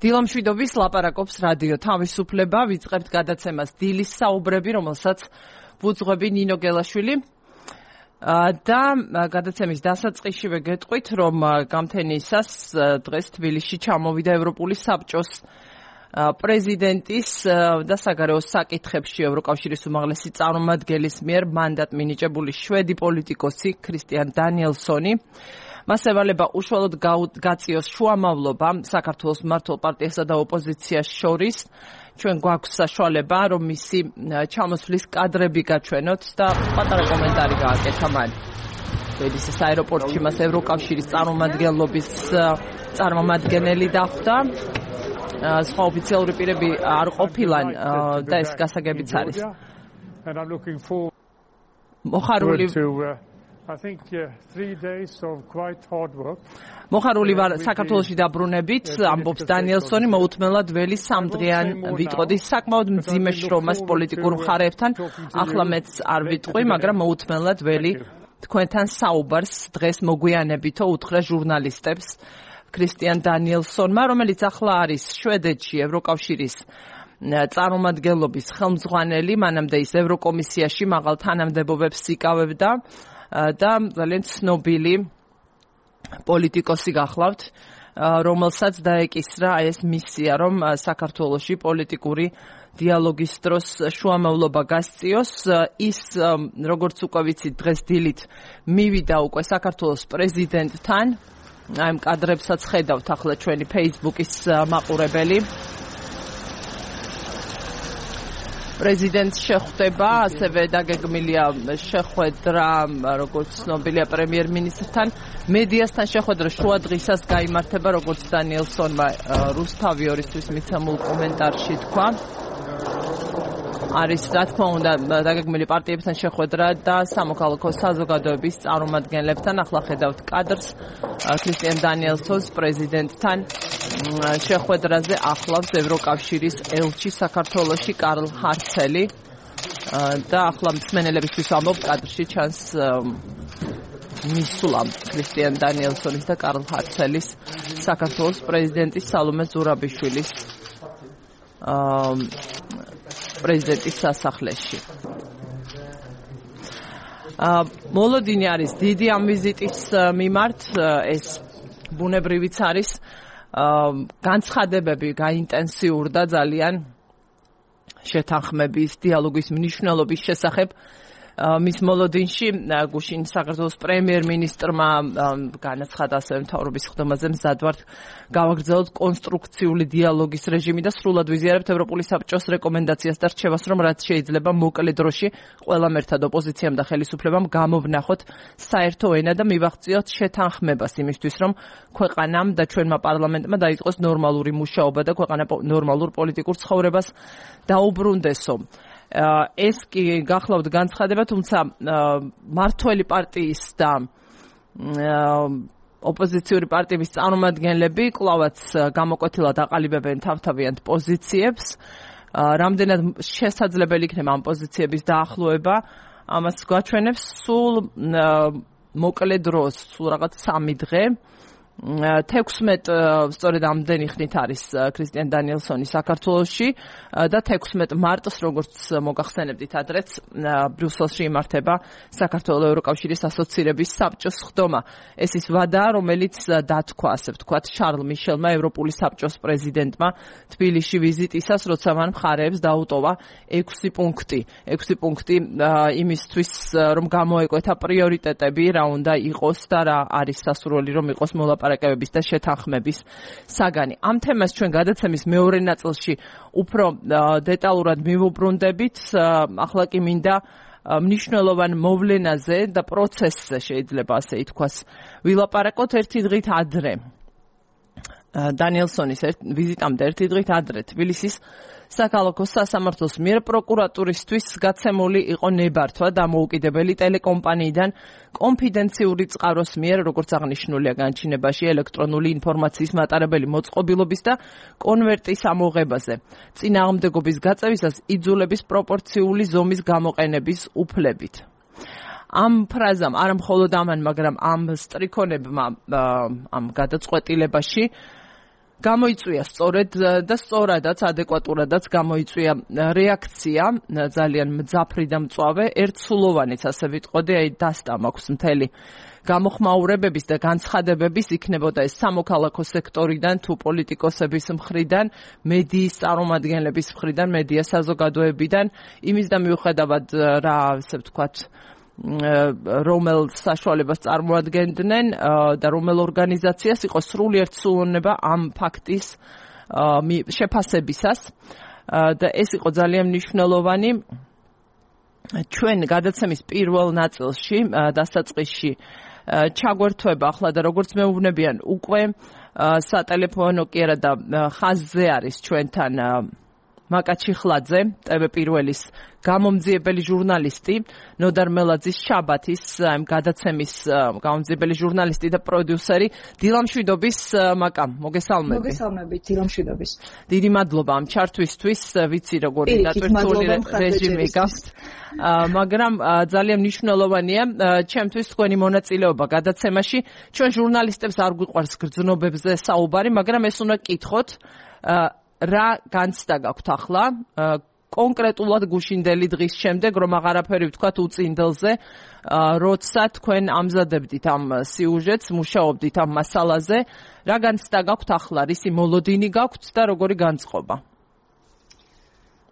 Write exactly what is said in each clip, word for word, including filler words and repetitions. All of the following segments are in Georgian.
დილამშვიდობის ლაპარაკობს რადიო თავისუფლება, ვიწყებთ გადაცემას დილის საუბრები, რომელსაც ვუძღვები ნინო გელაშვილი. და გადაცემის დასაწყისშივე გეტყვით, რომ გამთენისას დღეს თბილისში ჩამოვიდა ევროპული საბჭოს პრეზიდენტის და საგარეო საკითხებში ევროკავშირის უმაღლესი წარმომადგენლის მიერ მანდატ მინიჭებული შვედი პოლიტიკოსი ქრისტიან დანიელსონი. მას ევალება უშუალოდ გაწიოს შუამავლობა საქართველოს მმართველ პარტიასა და ოპოზიციას შორის. ჩვენ გვაქვს საშუალება, რომ მისი ჩამოსვლის კადრები გაჩვენოთ და პატარა კომენტარი გააკეთა მან. თბილისის აეროპორტში მას ევროკავშირის წარმომადგენლობის წარმომადგენელი დახვდა. სხვა ოფიციალური პირები არ ყოფილან და ეს გასაგებიც არის. მოხარული I think uh, three days of quite hard work. მოხარული ვარ საქართველოში დაბრუნებით, ამბობს დანიელსონი, მოუთმენლად ველი სამდღიან ვიტყოდი საკმაოდ მძიმე შრომას პოლიტიკურ მხარეებთან. ახლა მეც არ ვიტყვი, მაგრამ მოუთმენლად ველი თქვენთან საუბარს დღეს მოგვიანებითო უთხრა ჟურნალისტებს ქრისტიან დანიელსონმა, რომელიც ახლა არის შვედეთში ევროკავშირის წარმომადგენლობის ხელმძღვანელი, მანამდე ის ევროკომისიაში მაღალ თანამდებობებს იკავებდა. და ძალიან ცნობილი პოლიტიკოსი გახლავთ, რომელსაც დაეკისრა ეს მისია, რომ საქართველოში პოლიტიკური დიალოგის დროს შუამავლობა გასწიოს. ის, როგორც უკვე ვიცით, დღეს დილით მივიდა უკვე საქართველოს პრეზიდენტთან. აი ამ კადრებსაც ხედავთ ახლა ჩვენი Facebook-ის მაყურებელი. პრეზიდენტს შეხვდება, ასევე დაგეგმილია შეხვედრა, როგორც ცნობილია პრემიერ-მინისტრთან. მედიასთან შეხვედრა შუა დღისას გაიმართება, როგორც დანიელსონმა რუსთავი ორისთვის მიცემულ კომენტარში თქვა. არის, რა თქმა უნდა, დაგეგმილი პარტიებთან შეხვედრა და სამოქალაქო საზოგადოების წარმომადგენლებთან. ახლა ხედავთ კადრს ქრისტიან დანიელსონს პრეზიდენტთან შეხვედრაზე ახლავს ევროკავშირის ელჩი საქართველოში კარლ ჰარცელი და ახლა მსმენელებისთვის ამბობ, კადრში ჩანს მისვლა ქრისტიან დანიელსონის და კარლ ჰარცელის საქართველოს პრეზიდენტის სალომე ზურაბიშვილის პრეზიდენტის სასახლეში. მოლოდინი არის დიდი ამ ვიზიტის მიმართ, ეს ბუნებრივიც არის. განცხადებები გაინტენსიურდა ძალიან შეთანხმების, დიალოგის მნიშვნელობის შესახებ. მის მოლოდინში გუშინ საქართველოს პრემიერ-მინისტრმა განაცხადა ასევე მთავრობის ხდომაზე მზადვართ გავაგრძელოთ კონსტრუქციული დიალოგის რეჟიმი და სრულად ვიზიარებთ ევროპული საბჭოს რეკომენდაციას და რჩევას, რომ რაც შეიძლება მოკლე დროში ყველამ ერთად ოპოზიციამ და ხელისუფლებამ გამოვნახოთ საერთო ენა და მივაღწიოთ შეთანხმებას იმისთვის, რომ ქვეყანამ და ჩვენმა პარლამენტმა დაიწყოს ნორმალური მუშაობა და ქვეყანა ნორმალურ პოლიტიკურ ცხოვრებას დაუბრუნდესო. ეს კი გახლავთ განცხადება, თუმცა მართველი პარტიის და ოპოზიციური პარტიების წარმომადგენლები კვლავაც გამოკვეთილად აყალიბებენ თავთავიანთ პოზიციებს. რამდენად შესაძლებელი იქნება ამ პოზიციების დაახლოება, ამას გვაჩვენებს სულ მოკლე დროს, სულ რაღაც სამი დღე. თექვსმეტ სწორედ ამდენი ხნით არის ქრისტიან დანიელსონი საქართველოში და თექვსმეტ მარტს, როგორც მოგახსენებდით ადრეც, ბრიუსელში იმართება საქართველოს ევროკავშირის ასოცირების საბჭოს ხდომა. ეს ის ვადაა, რომელიც დათქვა, ასე ვთქვათ, შარლ მიშელმა, ევროპული საბჭოს პრეზიდენტმა თბილისში ვიზიტისას, როცა მან მხარეებს დაუტოვა ექვსი პუნქტი. ექვსი პუნქტი იმისთვის, რომ გამოეკვეთა პრიორიტეტები, რა უნდა იყოს და რა არის სასურველი, რომ იყოს მოლაპარაკებები ლაპარაკებების და შეთანხმების საგანი. ამ თემას ჩვენ გადაცემის მეორე ნაწილში უფრო დეტალურად მივუბრუნდებით. ახლა კი მინდა მნიშვნელოვან მოვლენაზე და პროცესზე, შეიძლება ასე ითქვას, ვილაპარაკოთ ერთი დღით ადრე. დანიელსონის ვიზიტამდე ერთი დღით ადრე თბილისის საქალაქო სასამართლოს მიერ პროკურატურისთვის გაცემული იყო ნებართვა დამოუკიდებელი ტელეკომპანიიდან კონფიდენციური წყაროს მიერ, როგორც აღნიშნულია განჩინებაში, ელექტრონული ინფორმაციის მატარებელი მოწყობილობის და კონვერტის ამოღებაზე. წინააღმდეგობის გაწევისას იძულების პროპორციული ზომის გამოყენების უფლებით. ამ ფრაზამ, არა მხოლოდ ამან, მაგრამ ამ სტრიქონებმა ამ გადაწყვეტილებაში გამოიწვია სწორედ და სწორადაც ადეკვატურადაც გამოიწვია რეაქცია ძალიან მძაფრი და მწვავე ერთსულოვანიც ასე ვიტყოდი აი დასტა მაქვს მთელი გამოხმაურებების და განცხადებების იქნებოდა ეს სამოქალაქო სექტორიდან თუ პოლიტიკოსების მხრიდან მედიის წარმომადგენლების მხრიდან მედია საზოგადოებიდან იმის და მიუხედავად რა ასე ვთქვათ რომელ საშუალებას წარმოადგენდნენ და რომელ ორგანიზაციას იყო სრული ერთსულოვანება ამ ფაქტის შეფასებისას და ეს იყო ძალიან მნიშვნელოვანი ჩვენ გადაცემის პირველ ნაწილში დასაწყისში ჩაგვერთვება ახლა და როგორც მეუბნებიან უკვე სატელეფონო კი არა და ხაზზე არის ჩვენთან მაკა ჩიხლაძე, ტევ პირველის გამომძიებელი ჟურნალისტი, ნოდარ მელაძის შაბათის გადაცემის გამომძიებელი ჟურნალისტი და პროდიუსერი, დილამშვიდობის მაკა, მოგესალმები. მოგესალმებით, დილამშვიდობის. დიდი მადლობა ამ ჩართვისთვის, ვიცი როგორი დატვირთული რეჟიმი გაქვთ. მაგრამ ძალიან მნიშვნელოვანია ჩემთვის თქვენი მონაწილეობა გადაცემაში. ჩვენ ჟურნალისტებს არ გვიყვარს გრძნობებზე საუბარი, მაგრამ ეს უნდა გკითხოთ. რა განცდა გაქვთ ახლა კონკრეტულად გუშინდელი დღის შემდეგ რომ აღარაფერი ვთქვათ უწინდელზე როცა თქვენ ამზადებდით ამ სიუჟეტს მუშაობდით ამ მასალაზე რა განცდა გაქვთ ახლა რისი მოლოდინი გაქვთ და როგორი განწყობა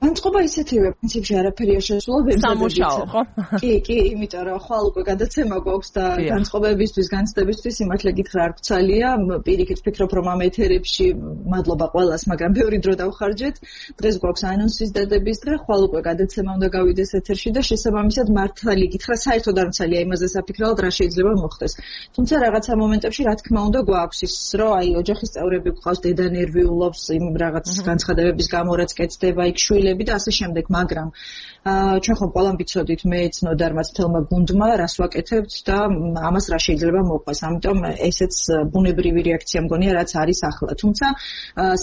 განწყობა ისეთივე პრინციპში არაფერია შესაძლებელი სამუშაო ხო კი კი იმიტომ რომ ხვალ უკვე გადაცემა გვაქვს და განწყობებისთვის განცდებისთვის იმართლა გითხრა არ გცალია პირიქით ვფიქრობ რომ ამ ეთერებში მადლობა ყველას მაგრამ ბევრი დრო დავხარჯეთ დღეს გვაქვს ანონსის დადების დღე ხვალ უკვე გადაცემა უნდა გავიდეს ეთერში და შესაბამისად მართალი გითხრა საერთოდ არ მცალია იმაზე საფიქრალად რა შეიძლება მოხდეს თუმცა რაღაცა მომენტებში რა თქმა უნდა გვაქვს ის რომ აი ოჯახის წევრები გვყავს დედა ნერვიულობს იმ რაღაც განცხადებების გამო რაც კეთდება იქ შვილები და ასე შემდეგ, მაგრამ ჩვენ ხომ ყველამ ვიცოდით მეც ნოდარმაც თელმა გუნდმა რას ვაკეთებთ და ამას რა შეიძლება მოყვას. ამიტომ ესეც ბუნებრივი რეაქცია მგონია რაც არის ახლა. თუმცა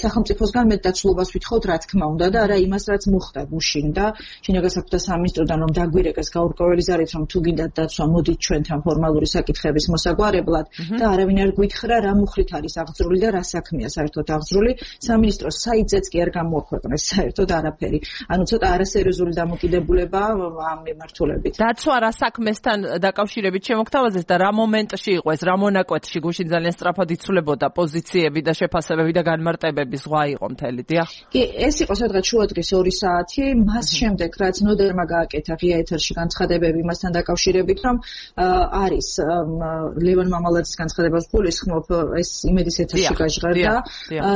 სახელმწიფოსგან მეტ დაცულობას ვითხოვთ რა თქმა უნდა და არა იმას რაც მოხდა გუშინ და შინაგან საქმეთა სამინისტროდან რომ დაგვირეკეს გაურკვეველი ზარით რომ თუ გინდათ დაცვა მოდით ჩვენთან ფორმალური საკითხების მოსაგვარებლად და არავინ არ გვითხრა რა მუხრით არის აღძრული და რა საქმეა საერთოდ აღძრული. სამინისტროს საიტზეც კი არ გამოაქვეყნეს საერთოდ არაფერი. ანუ ცოტა არასერიოზული დამოკიდებულება ამ მიმართულებით. დაცვა რა საქმესთან დაკავშირებით შემოგთავაზეს და რა მომენტში იყო ეს, რა მონაკვეთში გუშინ ძალიან სწრაფად იცვლებოდა პოზიციები და შეფასებები და განმარტებები ზღვა იყო მთელი, დიახ? კი, ეს იყო სადღაც შუადღის ორი საათი, მას შემდეგ რაც ნოდერმა გააკეთა ღია ეთერში განცხადებები მასთან დაკავშირებით, რომ არის ლევან მამალაძის განცხადებას გულისხმობ, ეს იმედის ეთერში გაჟღერდა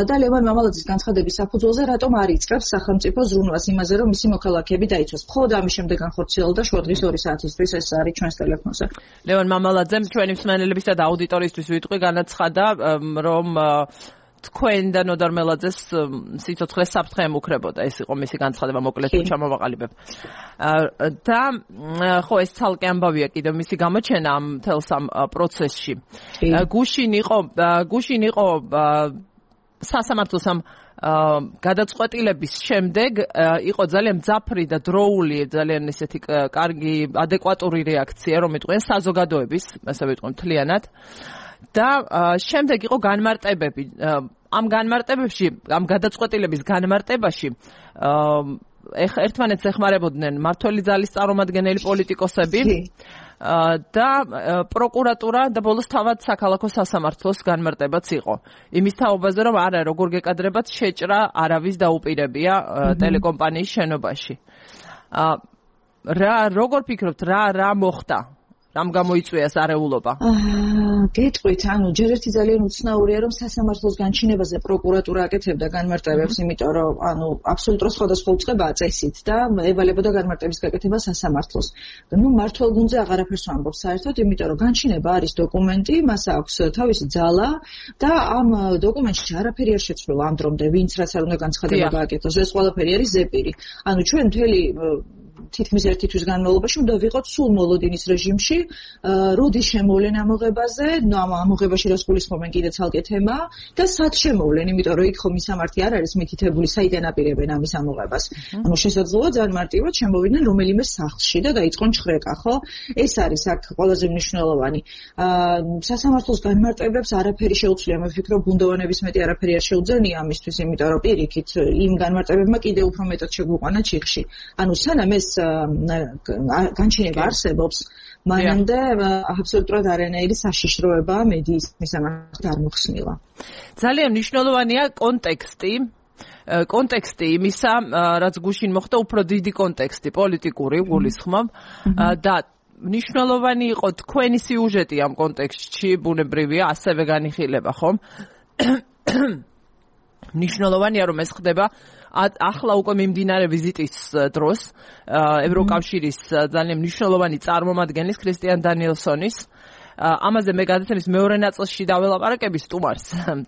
და ლევან მამალაძის განცხადების საფუძველზე რატომ არ იწყებს სახელმწიფო ზრუნვას იმაზე რომ მისი მოქალაქეები დაიცვას. მხოლოდ ამის შემდეგ განხორციელდა შუადღის ორი საათისთვის ეს არის ჩვენს ტელეფონზე. ლევან მამალაძემ ჩვენი მსმენელებისა და აუდიტორიისთვის ვიტყვი განაცხადა რომ თქვენ და ნოდარ მელაძეს სიცოცხლე საფრთხე ემუქრებოდა. ეს იყო მისი განცხადება მოკლედ ჩამოვაყალიბებ. და ხო ეს ცალკე ამბავია კიდევ მისი გამოჩენა ამ თელს ამ პროცესში. გუშინ იყო გუშინ იყო სასამართლოს ამ გადაწყვეტილების შემდეგ იყო ძალიან მძაფრი და დროული ძალიან ისეთი კარგი ადეკვატური რეაქცია რომ იტყვიან საზოგადოების ასე ვიტყვი მთლიანად და შემდეგ იყო განმარტებები ამ განმარტებებში ამ გადაწყვეტილების განმარტებაში ერთმანეთს ეხმარებოდნენ მმართველი ძალის წარმომადგენელი პოლიტიკოსები და პროკურატურა და ბოლოს თავად საქალაქო სასამართლოს განმარტებაც იყო. იმის თაობაზე რომ არა როგორ გეკადრებათ შეჭრა არავის დაუპირებია ტელეკომპანიის შენობაში. რა როგორ ფიქრობთ რა რა მოხდა? რამ გამოიწვია ეს არეულობა? გეტყვით, ანუ ჯერ ერთი ძალიან უცნაურია რომ სასამართლოს განჩინებაზე პროკურატურა აკეთებდა განმარტებებს, იმიტომ რომ ანუ აბსოლუტურად სხვადასხვა უწყებაა წესით და ევალებოდა განმარტების გაკეთება სასამართლოს. ნუ მმართველ გუნდზე აღარაფერს ვამბობ საერთოდ, იმიტომ რომ განჩინება არის დოკუმენტი, მას აქვს თავისი ძალა და ამ დოკუმენტში არაფერი არ შეცვლილა ამ დრომდე, ვინც რაც არ უნდა განცხადება გააკეთოს, ეს ყველაფერი არის ზეპირი. ანუ ჩვენ მთელი თითქმის ერთი თვის განმავლობაში უნდა ვიყოთ სულ მოლოდინის რეჟიმში, როდის შემოვლენ ამოღებაზე, ნუ ამ ამოღებაში რას გულისხმობენ კიდე ცალკე თემაა და სად შემოვლენ, იმიტომ რომ იქ ხომ მისამართი არ არის მითითებული, საიდან აპირებენ ამის ამოღებას. ანუ შესაძლოა ძალიან მარტივად შემოვიდნენ რომელიმე სახლში და დაიწყონ ჩხრეკა, ხო? ეს არის აქ ყველაზე მნიშვნელოვანი. სასამართლოს განმარტებებს არაფერი შეუძლია, მე ვფიქრობ, ბუნდოვანების მეტი არაფერი არ შეუძლია ამისთვის, იმიტომ რომ პირიქით იმ განმარტებებმა კიდე უფრო მეტად შეგვიყვანა ჩიხში. ანუ სანამ ეს განჩინება არსებობს, მანამდე აბსოლუტურად არანაირი საშიშროება მედიის მისამართი არ მოხსნილა. ძალიან მნიშვნელოვანია კონტექსტი. კონტექსტი იმისა, რაც გუშინ მოხდა, უფრო დიდი კონტექსტი, პოლიტიკური გულისხმობ და მნიშვნელოვანი იყო თქვენი სიუჟეტი ამ კონტექსტში, ბუნებრივია, ასევე განიხილება, ხომ? მნიშვნელოვანია, რომ ეს ხდება ახლა უკვე მიმდინარე ვიზიტის დროს ევროკავშირის ძალიან მნიშვნელოვანი წარმომადგენლის ქრისტიან დანიელსონის. ამაზე მე გადაცემის მეორე ნაწილში დაველაპარაკები სტუმარს,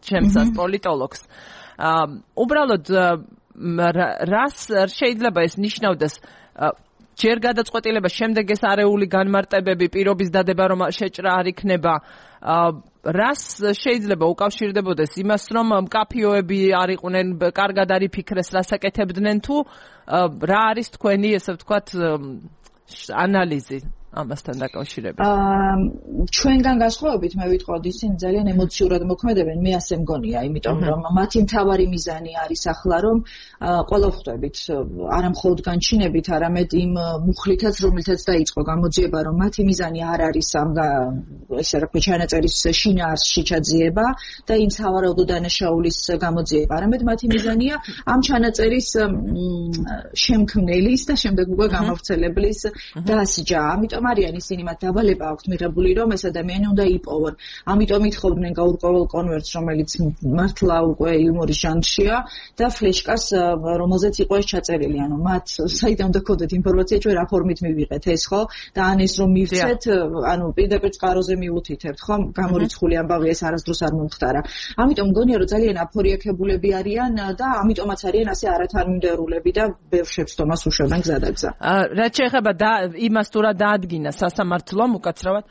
ჩემსას პოლიტოლოგს. უბრალოდ რას შეიძლება ეს ნიშნავდეს ჯერ გადაწყვეტილება, შემდეგ ეს არეული განმარტებები, პირობის დადება რომ შეჭრა არ იქნება, რას შეიძლება უკავშირდებოდეს იმას, რომ მკაფიოები არ იყვნენ, კარგად არ იფიქრეს, რას აკეთებდნენ თუ რა არის თქვენი, ესე ვთქვათ, ანალიზი ამასთან დაკავშირებით? ჩვენგან განსხვავებით მე ვიტყოდი, ისინი ძალიან ემოციურად მოქმედებენ, მე ასე მგონია, იმიტომ რომ მათი მთავარი მიზანი არის ახლა რომ ყველა ვხვდებით, არა მხოლოდ განჩინებით, არამედ იმ მუხლითაც, რომელთაც დაიწყო გამოძიება, რომ მათი მიზანი არ არის ამ ესე რა ქვია ჩანაწერის შინაარსში ჩაძიება და იმ სავარაუდო დანაშაულის გამოძიება, არამედ მათი მიზანია ამ ჩანაწერის შემქმნელის და შემდეგ უკვე გამავრცელებლის დასჯა. ამიტომ არიან ისინი მათ დავალება აქვთ მიღებული, რომ ეს ადამიანი უნდა იპოვონ. ამიტომ ითხოვდნენ გაურკვეველ კონვერტს, რომელიც მართლა უკვე იუმორის ჟანრშია და ფლეშკას, რომელზეც იყო ეს ჩაწერილი. ანუ მათ საიდან უნდა ქონდეთ ინფორმაცია, ჩვენ რა ფორმით მივიღეთ ეს, ხო? და ან ეს რომ მივცეთ, ანუ პირდაპირ წყაროზე მიუთითებთ, ხო? გამორიცხული ამბავი ეს არასდროს არ მომხდარა. ამიტომ მგონია, რომ ძალიან აფორიაქებულები არიან და ამიტომაც არიან ასე არათანმიმდევრულები და ბევრ შეცდომას უშვებენ გზადაგზა. რაც შეეხება იმას თუ რა დაადგინა სასამართლომ უკაცრავად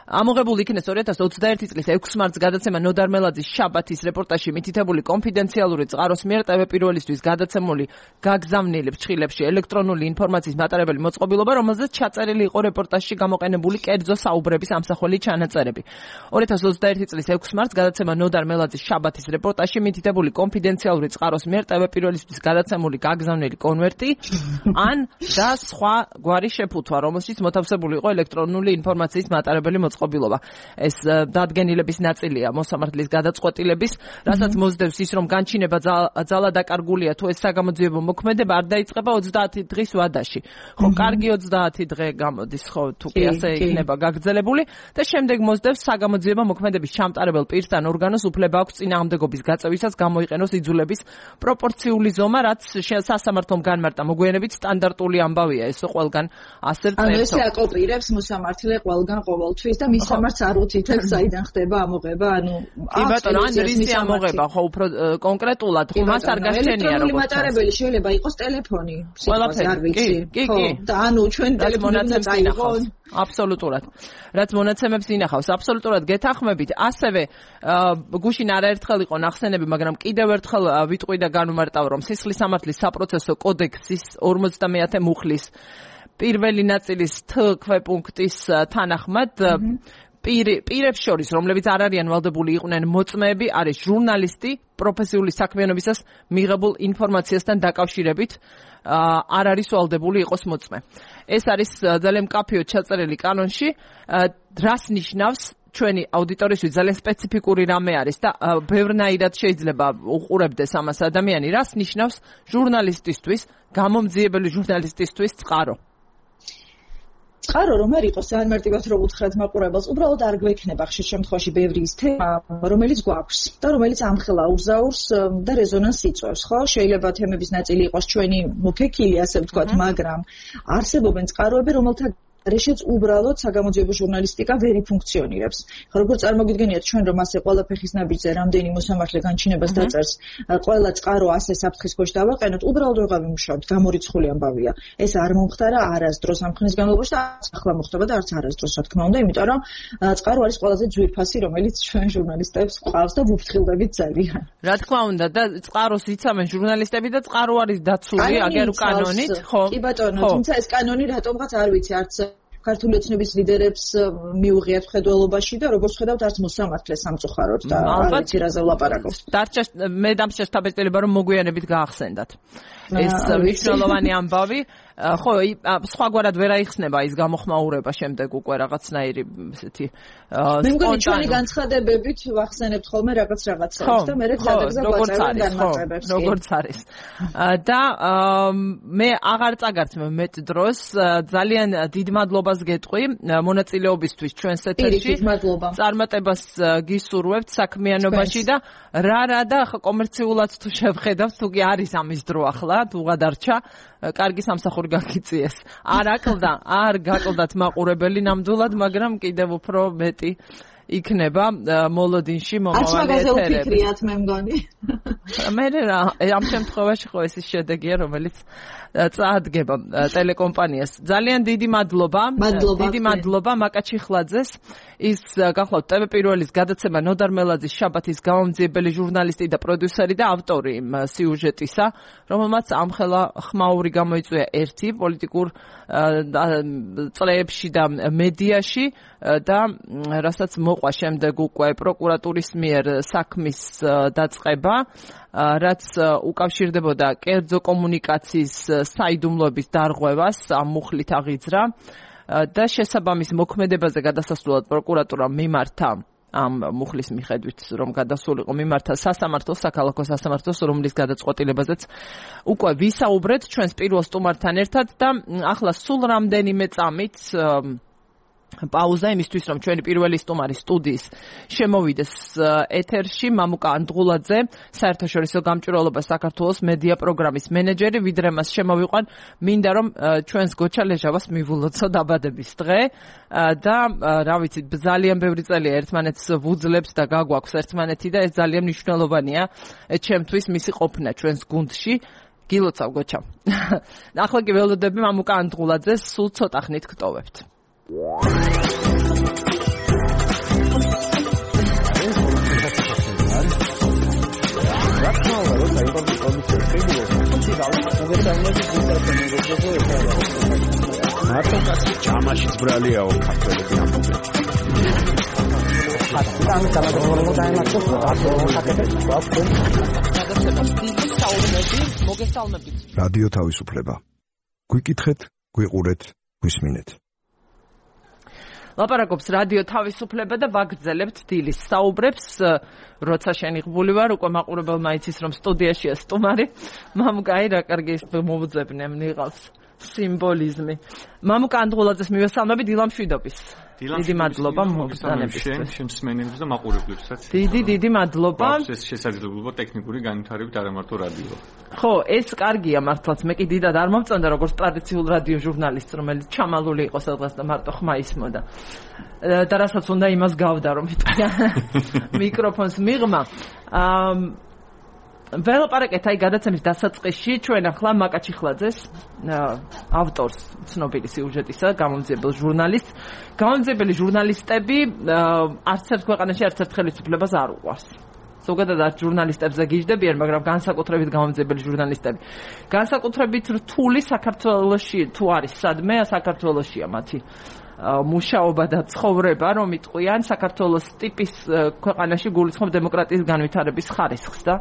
ამოღებული იქნეს ორი ათას ოცდაერთი წლის ექვსი მარტს გადაცემა ნოდარ მელაძის შაბათის რეპორტაჟში მითითებული კონფიდენციალური წყაროს მიერ ტევ პირველისთვის გადაცემული გაგზავნილი ფრჩხილებში ელექტრონული ინფორმაციის მატარებელი მოწყობილობა, რომელზეც ჩაწერილი იყო რეპორტაჟში გამოყენებული კერძო საუბრების ამსახველი ჩანაწერები. ორი ათას ოცდაერთი წლის ექვსი მარტს გადაცემა ნოდარ მელაძის შაბათის რეპორტაჟში მითითებული კონფიდენციალური წყაროს მიერ ტევ პირველისთვის გადაცემული გაგზავნილი კონვერტი ან და სხვა გვარი შეფუთვა, რომელშიც მოთავსებული იყო ელექტრონული ინფორმაციის მატარებელი მოწყობილობა. ეს დადგენილების ნაწილია მოსამართლის გადაწყვეტილების, რასაც მოსდევს ის, რომ განჩინება ძალა დაკარგულია თუ ეს საგამოძიებო მოქმედება არ დაიწყება ოცდაათი დღის ვადაში. ხო, კარგი ოცდაათი დღე გამოდის, ხო, თუ კი ასე იქნება გაგრძელებული და შემდეგ მოსდევს საგამოძიებო მოქმედების ჩამტარებელ პირთან ორგანოს უფლება აქვს წინააღმდეგობის გაწევისას გამოიყენოს იძულების პროპორციული ზომა, რაც სასამართლომ განმარტა. მოგვიანებით სტანდარტული ამბავია ეს ყველგან ასე წერს. ანუ ესე აკოპირებს მოსამართლე ყველგან ყოველთვის და მისამართს არ უთითებს, საიდან ხდება ამოღება, ანუ კი ბატონო, ან რისი ამოღება, ხო, უფრო კონკრეტულად, ხო, მას არ გასჩენია როგორც მატარებელი შეიძლება იყოს ტელეფონი, ყველაფერი, არ ვიცი, კი, კი, და ანუ ჩვენ ტელეფონი წაიღონ, აბსოლუტურად. რაც მონაცემებს ინახავს, აბსოლუტურად გეთანხმებით. ასევე გუშინ არაერთხელ იყო ნახსენები, მაგრამ კიდევ ერთხელ ვიტყვი და განვმარტავ, რომ სისხლის სამართლის საპროცესო კოდექსის ორმოცდამეათე მუხლის პირველი ნაწილის თ ქვეპუნქტის თანახმად პირებს შორის, რომლებიც არ არიან ვალდებული იყვნენ მოწმეები, არის ჟურნალისტი პროფესიული საქმიანობისას მიღებულ ინფორმაციასთან დაკავშირებით არ არის ვალდებული იყოს მოწმე. ეს არის ძალიან მკაფიოდ ჩაწერილი კანონში, რას ნიშნავს ჩვენი აუდიტორისთვის ძალიან სპეციფიკური რამე არის და ბევრნაირად შეიძლება უყურებდეს ამას ადამიანი, რას ნიშნავს ჟურნალისტისთვის, გამომძიებელი ჟურნალისტისთვის წყარო. წყარო რომ არ იყოს ძალიან მარტივად რომ უთხრათ მაყურებელს, უბრალოდ არ გვექნება ხშირ შემთხვევაში ბევრი ის თემა, რომელიც გვაქვს და რომელიც ამხელა ურზაურს და რეზონანსს იწვევს, ხო? შეიძლება თემების ნაწილი იყოს ჩვენი მოფექილი, ასე ვთქვათ, მაგრამ არსებობენ წყაროები, რომელთა რეშეც უბრალოდ საგამოძიებო ჟურნალისტიკა ვერ იფუნქციონირებს. ხო, როგორც წარმოგიდგენიათ ჩვენ რომ ასე ყველა ფეხის ნაბიჯზე რამდენი მოსამართლე განჩინებას დაწერს, ყველა წყარო ასე საფრთხის ქვეშ დავაყენოთ, უბრალოდ ვეღარ ვიმუშავებთ, გამორიცხული ამბავია. ეს არ მომხდარა არასდროს ამ ხნის განმავლობაში და არც ახლა მოხდება და არც არასდროს, რა თქმა უნდა, იმიტომ რომ წყარო არის ყველაზე ძვირფასი, რომელიც ჩვენ ჟურნალისტებს ყავს და ვუფრთხილდებით ძალიან. რა თქმა უნდა და წყაროს იცამენ ჟურნალისტები და წყარო არის დაცული აგერ კანონით, ხო? კი ბატონო, თუმცა ეს კანონი რატომღაც არ ვიცი, არც ქართული ოცნების ლიდერებს მიუღიათ მხედველობაში და როგორც ხედავთ არც მოსამართლეს სამწუხაროდ და არ ვიცი რაზე ვლაპარაკობთ. დარჩა მე დამჭერს დაბეჭდილება რომ მოგვიანებით გაახსენდათ. ეს მნიშვნელოვანი ამბავი, ხო, სხვაგვარად ვერ აიხსნება ის გამოხმაურება შემდეგ უკვე რაღაცნაირი ესეთი მე მგონი ჩვენი განცხადებებით ვახსენებთ ხოლმე რაღაც რაღაცას და მე რეგზადებზე გვაწევენ განმარტებებს. როგორც არის. და მე აღარ წაგართმევ მეტ დროს, ძალიან დიდ მადლობას გეტყვი მონაწილეობისთვის ჩვენს ეთერში. წარმატებას გისურვებთ საქმიანობაში და რა რა და კომერციულად თუ შევხედავთ, თუ კი არის ამის დრო ახლა, თუ გადარჩა, კარგი სამსახური გაგიწიეს. არ აკლდა, არ გაკლდათ მაყურებელი ნამდვილად, მაგრამ კიდევ უფრო მეტი იქნება მოლოდინში მომავალი ეთერები. არც მაგაზე მე მგონი. მე რა, ამ შემთხვევაში ხო ეს ის შედეგია, რომელიც წაადგება ტელეკომპანიას. ძალიან დიდი მადლობა. დიდი მადლობა მაკაჩიხლაძეს. ის გახლავთ ტევ პირველის გადაცემა ნოდარ მელაძის შაბათის გამომძიებელი ჟურნალისტი და პროდიუსერი და ავტორი სიუჟეტისა, რომელმაც ამხელა ხმაური გამოიწვია ერთი პოლიტიკურ წრეებში და მედიაში და რასაც მოყვა შემდეგ უკვე პროკურატურის მიერ საქმის დაწყება, რაც უკავშირდებოდა კერძო კომუნიკაციის საიდუმლოების დარღვევას, ამ მუხლით აღიძრა და შესაბამის მოქმედებაზე გადასასვლელად პროკურატურამ მიმართა ამ მუხლის მიხედვით რომ გადასულიყო მიმართა სასამართლოს, საქალაქო სასამართლოს, რომლის გადაწყვეტილებაზეც უკვე ვისაუბრეთ ჩვენს პირველ სტუმართან ერთად და ახლა სულ რამდენიმე წამით პაუზა იმისთვის რომ ჩვენი პირველი სტუმარი სტუდიის შემოვიდეს ეთერში მამუკა ანდღულაძე, საერთაშორისო გამჭვირვალობა საქართველოს მედია პროგრამის მენეჯერი, ვიდრე მას შემოვიყვან, მინდა რომ ჩვენს გოჩა ლეჟავას მივულოცო დაბადების დღე და რა ვიცი, ძალიან ბევრი წელია ერთმანეთს ვუძლებთ და გაგვაქვს ერთმანეთი და ეს ძალიან მნიშვნელოვანია ჩემთვის მისი ყოფნა ჩვენს გუნდში. გილოცავ გოჩა. ახლა კი ველოდები მამუკა ანდღულაძეს სულ ცოტა ხნით გტოვებთ. მარტო კაცი ჯამაშიც ბრალიაო ქართველები ამბობენ. ამის გამოგონებო დაემართოს რადიო თავისუფლება. გვიკითხეთ, გვიყურეთ, გვისმინეთ. ლაპარაკობს რადიო თავისუფლება და ვაგრძელებთ დილის საუბრებს, როცა შენიღბული ვარ, უკვე მაყურებელმა იცის რომ სტუდიაშია სტუმარი. მამუკა, აი რა კარგი ის მოვუძებნე, ნიღავს სიმბოლიზმი. მამუკა ანდღულაძეს მივესალმები დილამშვიდობის. დიდი მადლობა მოგზაურობისთვის. შენს მენეჯერს და მაყურებლებსაც. დიდი დიდი მადლობა. ეს შესაძლებლობა ტექნიკური განვითარებით არა მარტო რადიო. ხო, ეს კარგია მართლაც. მე კი დიდად არ მომწონდა როგორც ტრადიციულ რადიო ჟურნალისტს, რომელიც ჩამალული იყო სადღაც და მარტო ხმა ისმოდა. და რასაც უნდა იმას გავდა რომ იტყვია მიკროფონს მიღმა. აა ველაპარაკეთ აი გადაცემის დასაწყისში ჩვენ ახლა მაკაჩიხლაძეს ავტორს, ცნობილი სიუჟეტისა, გამომძიებელ ჟურნალისტს. გამომძიებელი ჟურნალისტები არც ერთ ქვეყანაში არც ერთ ხელისუფლებას არ უყვარს. ზოგადად არც ჟურნალისტებზე გიждდებიან, მაგრამ განსაკუთრებით გამომძიებელი ჟურნალისტები. განსაკუთრებით რთული საქართველოში თუ არის სადმე, საქართველოშია მათი მუშაობა და ცხოვრება, რომ იტყვიან საქართველოს ტიპის ქვეყანაში გულისხმობ დემოკრატიის განვითარების ხარისხს და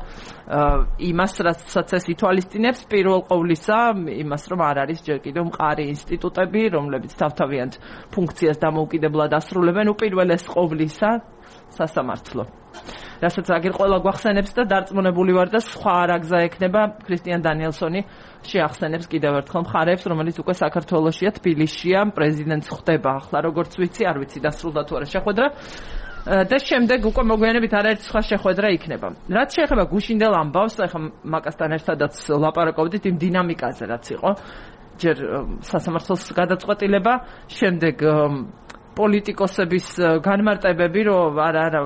იმას, რასაც ეს ითვალისწინებს, პირველ ყოვლისა, იმას, რომ არ არის ჯერ კიდევ მყარი ინსტიტუტები, რომლებიც თავთავიანთ ფუნქციას დამოუკიდებლად ასრულებენ, უპირველეს ყოვლისა სასამართლო. რასაც აგერ ყველა გვახსენებს და დარწმუნებული ვარ და სხვა რა გზა ექნება, ქრისტიან დანიელსონი შეახსენებს კიდევ ერთხელ მხარეებს, რომელიც უკვე საქართველოშია, თბილისშია, პრეზიდენტს ხვდება ახლა, როგორც ვიცი, არ ვიცი დასრულდა თუ არა შეხვედრა. და შემდეგ უკვე მოგვიანებით არაერთი სხვა შეხვედრა იქნება. რაც შეეხება გუშინდელ ამბავს, ახლა მაკასთან ერთადაც ლაპარაკობდით იმ დინამიკაზე, რაც იყო. ჯერ სასამართლოს გადაწყვეტილება, შემდეგ პოლიტიკოსების განმარტებები, რომ არა არა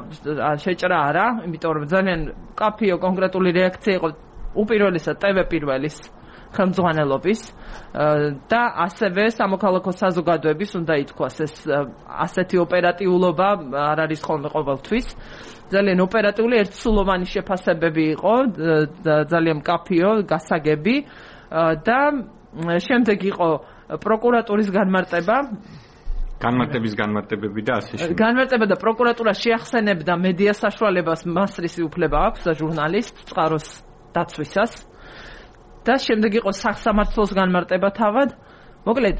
შეჭრა არა, იმიტომ რომ ძალიან კაფეო კონკრეტული რეაქცია იყო უპირველესად ტევ პირველის ხელმძღვანელობის და ასევე სამოქალაქო საზოგადოების უნდა ითქვას ეს ასეთი ოპერატიულობა არ არის ხოლმე ყოველთვის. ძალიან ოპერატიული ერთსულოვანი შეფასებები იყო, ძალიან კაფეო, გასაგები და შემდეგ იყო პროკურატურის განმარტება. განმარტების განმარტებები და ასე შემდეგ. განმარტება და პროკურატურა შეახსენებდა მედია საშუალებას მასრისი უფლება აქვს და ჟურნალისტს წყაროს დაცვისას. და შემდეგ იყო სასამართლოს განმარტება თავად. მოკლედ,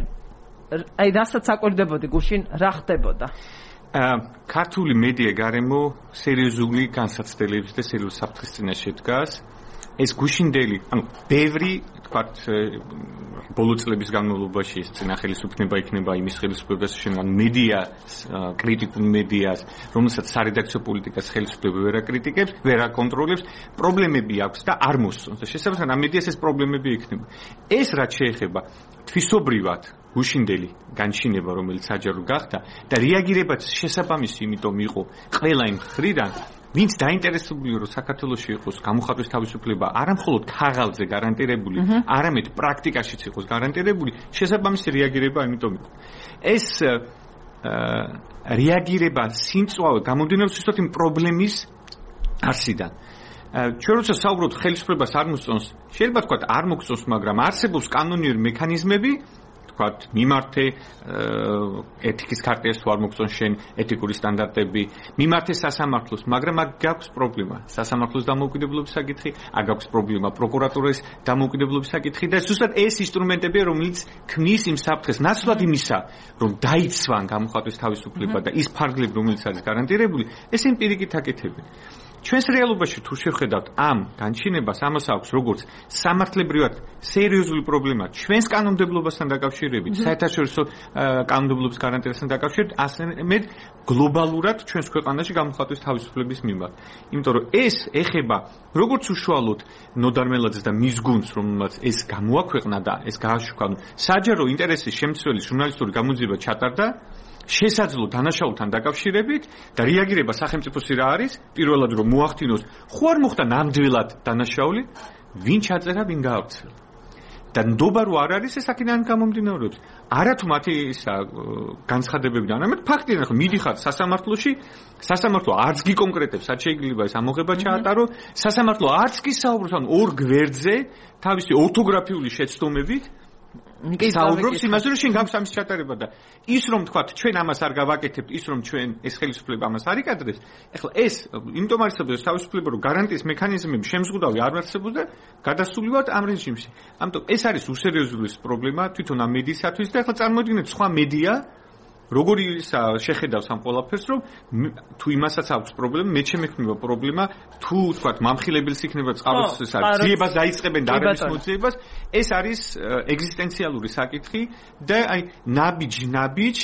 აი რასაც აკვირდებოდი გუშინ, რა ხდებოდა? ქართული მედია გარემო სერიოზული განსაცდელების და სერიოზული საფრთხის წინაშე დგას. ეს გუშინდელი, ანუ ბევრი, თქვათ, ბოლო წლების განმავლობაში ეს წინა ხელისუფლება იქნება იმის ხელისუფლებას შენან მედია, კრიტიკულ მედიას, რომელსაც სარედაქციო პოლიტიკას ხელისუფლება ვერ აკრიტიკებს, ვერ აკონტროლებს, პრობლემები აქვს და არ მოსწონს. და შესაბამისად ამ მედიას ეს პრობლემები იქნება. ეს რაც შეეხება თვისობრივად გუშინდელი განჩინება, რომელიც საჯარო გახდა და რეაგირებაც შესაბამისი, იმიტომ იყო ყველა იმ მხრიდან, ვინც დაინტერესებული რომ საქართველოში იყოს გამოხატვის თავისუფლება არა მხოლოდ ქაღალდზე გარანტირებული, არამედ პრაქტიკაშიც იყოს გარანტირებული, შესაბამისი რეაგირება ამიტომ იყო. ეს რეაგირება სიმწვავე გამომდინარეობს უბრალოდ იმ პრობლემის არსიდან. ჩვენ როცა საუბრობთ ხელისუფლებას არ მოსწონს, შეიძლება თქვა არ მოგწონს, მაგრამ არსებობს კანონიერი მექანიზმები, თქვათ მიმართე ეთიკის ქარტიას თუ არ მოგწონს შენ ეთიკური სტანდარტები, მიმართე სასამართლოს, მაგრამ აქ გაქვს პრობლემა. სასამართლოს დამოუკიდებლობის საკითხი, აქ გაქვს პრობლემა პროკურატურის დამოუკიდებლობის საკითხი და ზუსტად ეს ინსტრუმენტებია, რომელიც ქმნის იმ საფრთხეს, ნაცვლად იმისა, რომ დაიცვან გამოხატვის თავისუფლება და ის ფარგლები, რომელიც არის გარანტირებული, ეს იმპირიკით აკეთებენ. ჩვენს რეალობაში თუ შევხედავთ ამ განჩინებას, ამას აქვს როგორც სამართლებრივად სერიოზული პრობლემა ჩვენს კანონმდებლობასთან დაკავშირებით, საერთაშორისო კანონმდებლობის გარანტიასთან დაკავშირებით, ასეთ გლობალურად ჩვენს ქვეყანაში გამოხატვის თავისუფლების მიმართ. იმიტომ რომ ეს ეხება როგორც უშუალოდ ნოდარ მელაძეს და მის გუნდს, რომელმაც ეს გამოაქვეყნა და ეს გააშუქა, საჯარო ინტერესის შემცველი ჟურნალისტური გამოძიება ჩატარდა შესაძლო დანაშაულთან დაკავშირებით და რეაგირება სახელმწიფოსი რა არის, პირველად რომ მოახდინოს, ხო არ მოხდა ნამდვილად დანაშაული, ვინ ჩაწერა, ვინ გაავრცელა. და ნდობა რო არ არის, ეს აქედან გამომდინარეობს. არათუ მათი ისა განცხადებებიდან, არამედ ფაქტიდან, ხო მიდიხარ სასამართლოში, სასამართლო არც გიკონკრეტებს, რაც შეიძლება ეს ამოღება ჩაატარო, სასამართლო არც კი საუბრობს ან ორ გვერდზე თავისი ორთოგრაფიული შეცდომებით საუბრობს იმაზე, რომ შენ გაქვს ამის ჩატარება და ის რომ თქვათ ჩვენ ამას არ გავაკეთებთ, ის რომ ჩვენ ეს ხელისუფლება ამას არ იკადრებს, ეხლა ეს იმიტომ არსებობს თავისუფლება, რომ გარანტიის მექანიზმები შემზღუდავი არ არსებობს და გადასულივართ ამ რეჟიმში. ამიტომ ეს არის უსერიოზული პრობლემა თვითონ ამ მედიისათვის და ეხლა წარმოიდგინეთ სხვა მედია როგორი შეხედავს ამ ყველაფერს, რომ თუ იმასაც აქვს პრობლემა, მე შემექმნება პრობლემა, თუ თქვათ მამხილებელს იქნება წყაროს ძიებას დაიწყებენ და არების მოძიებას, ეს არის ეგზისტენციალური საკითხი და აი ნაბიჯ-ნაბიჯ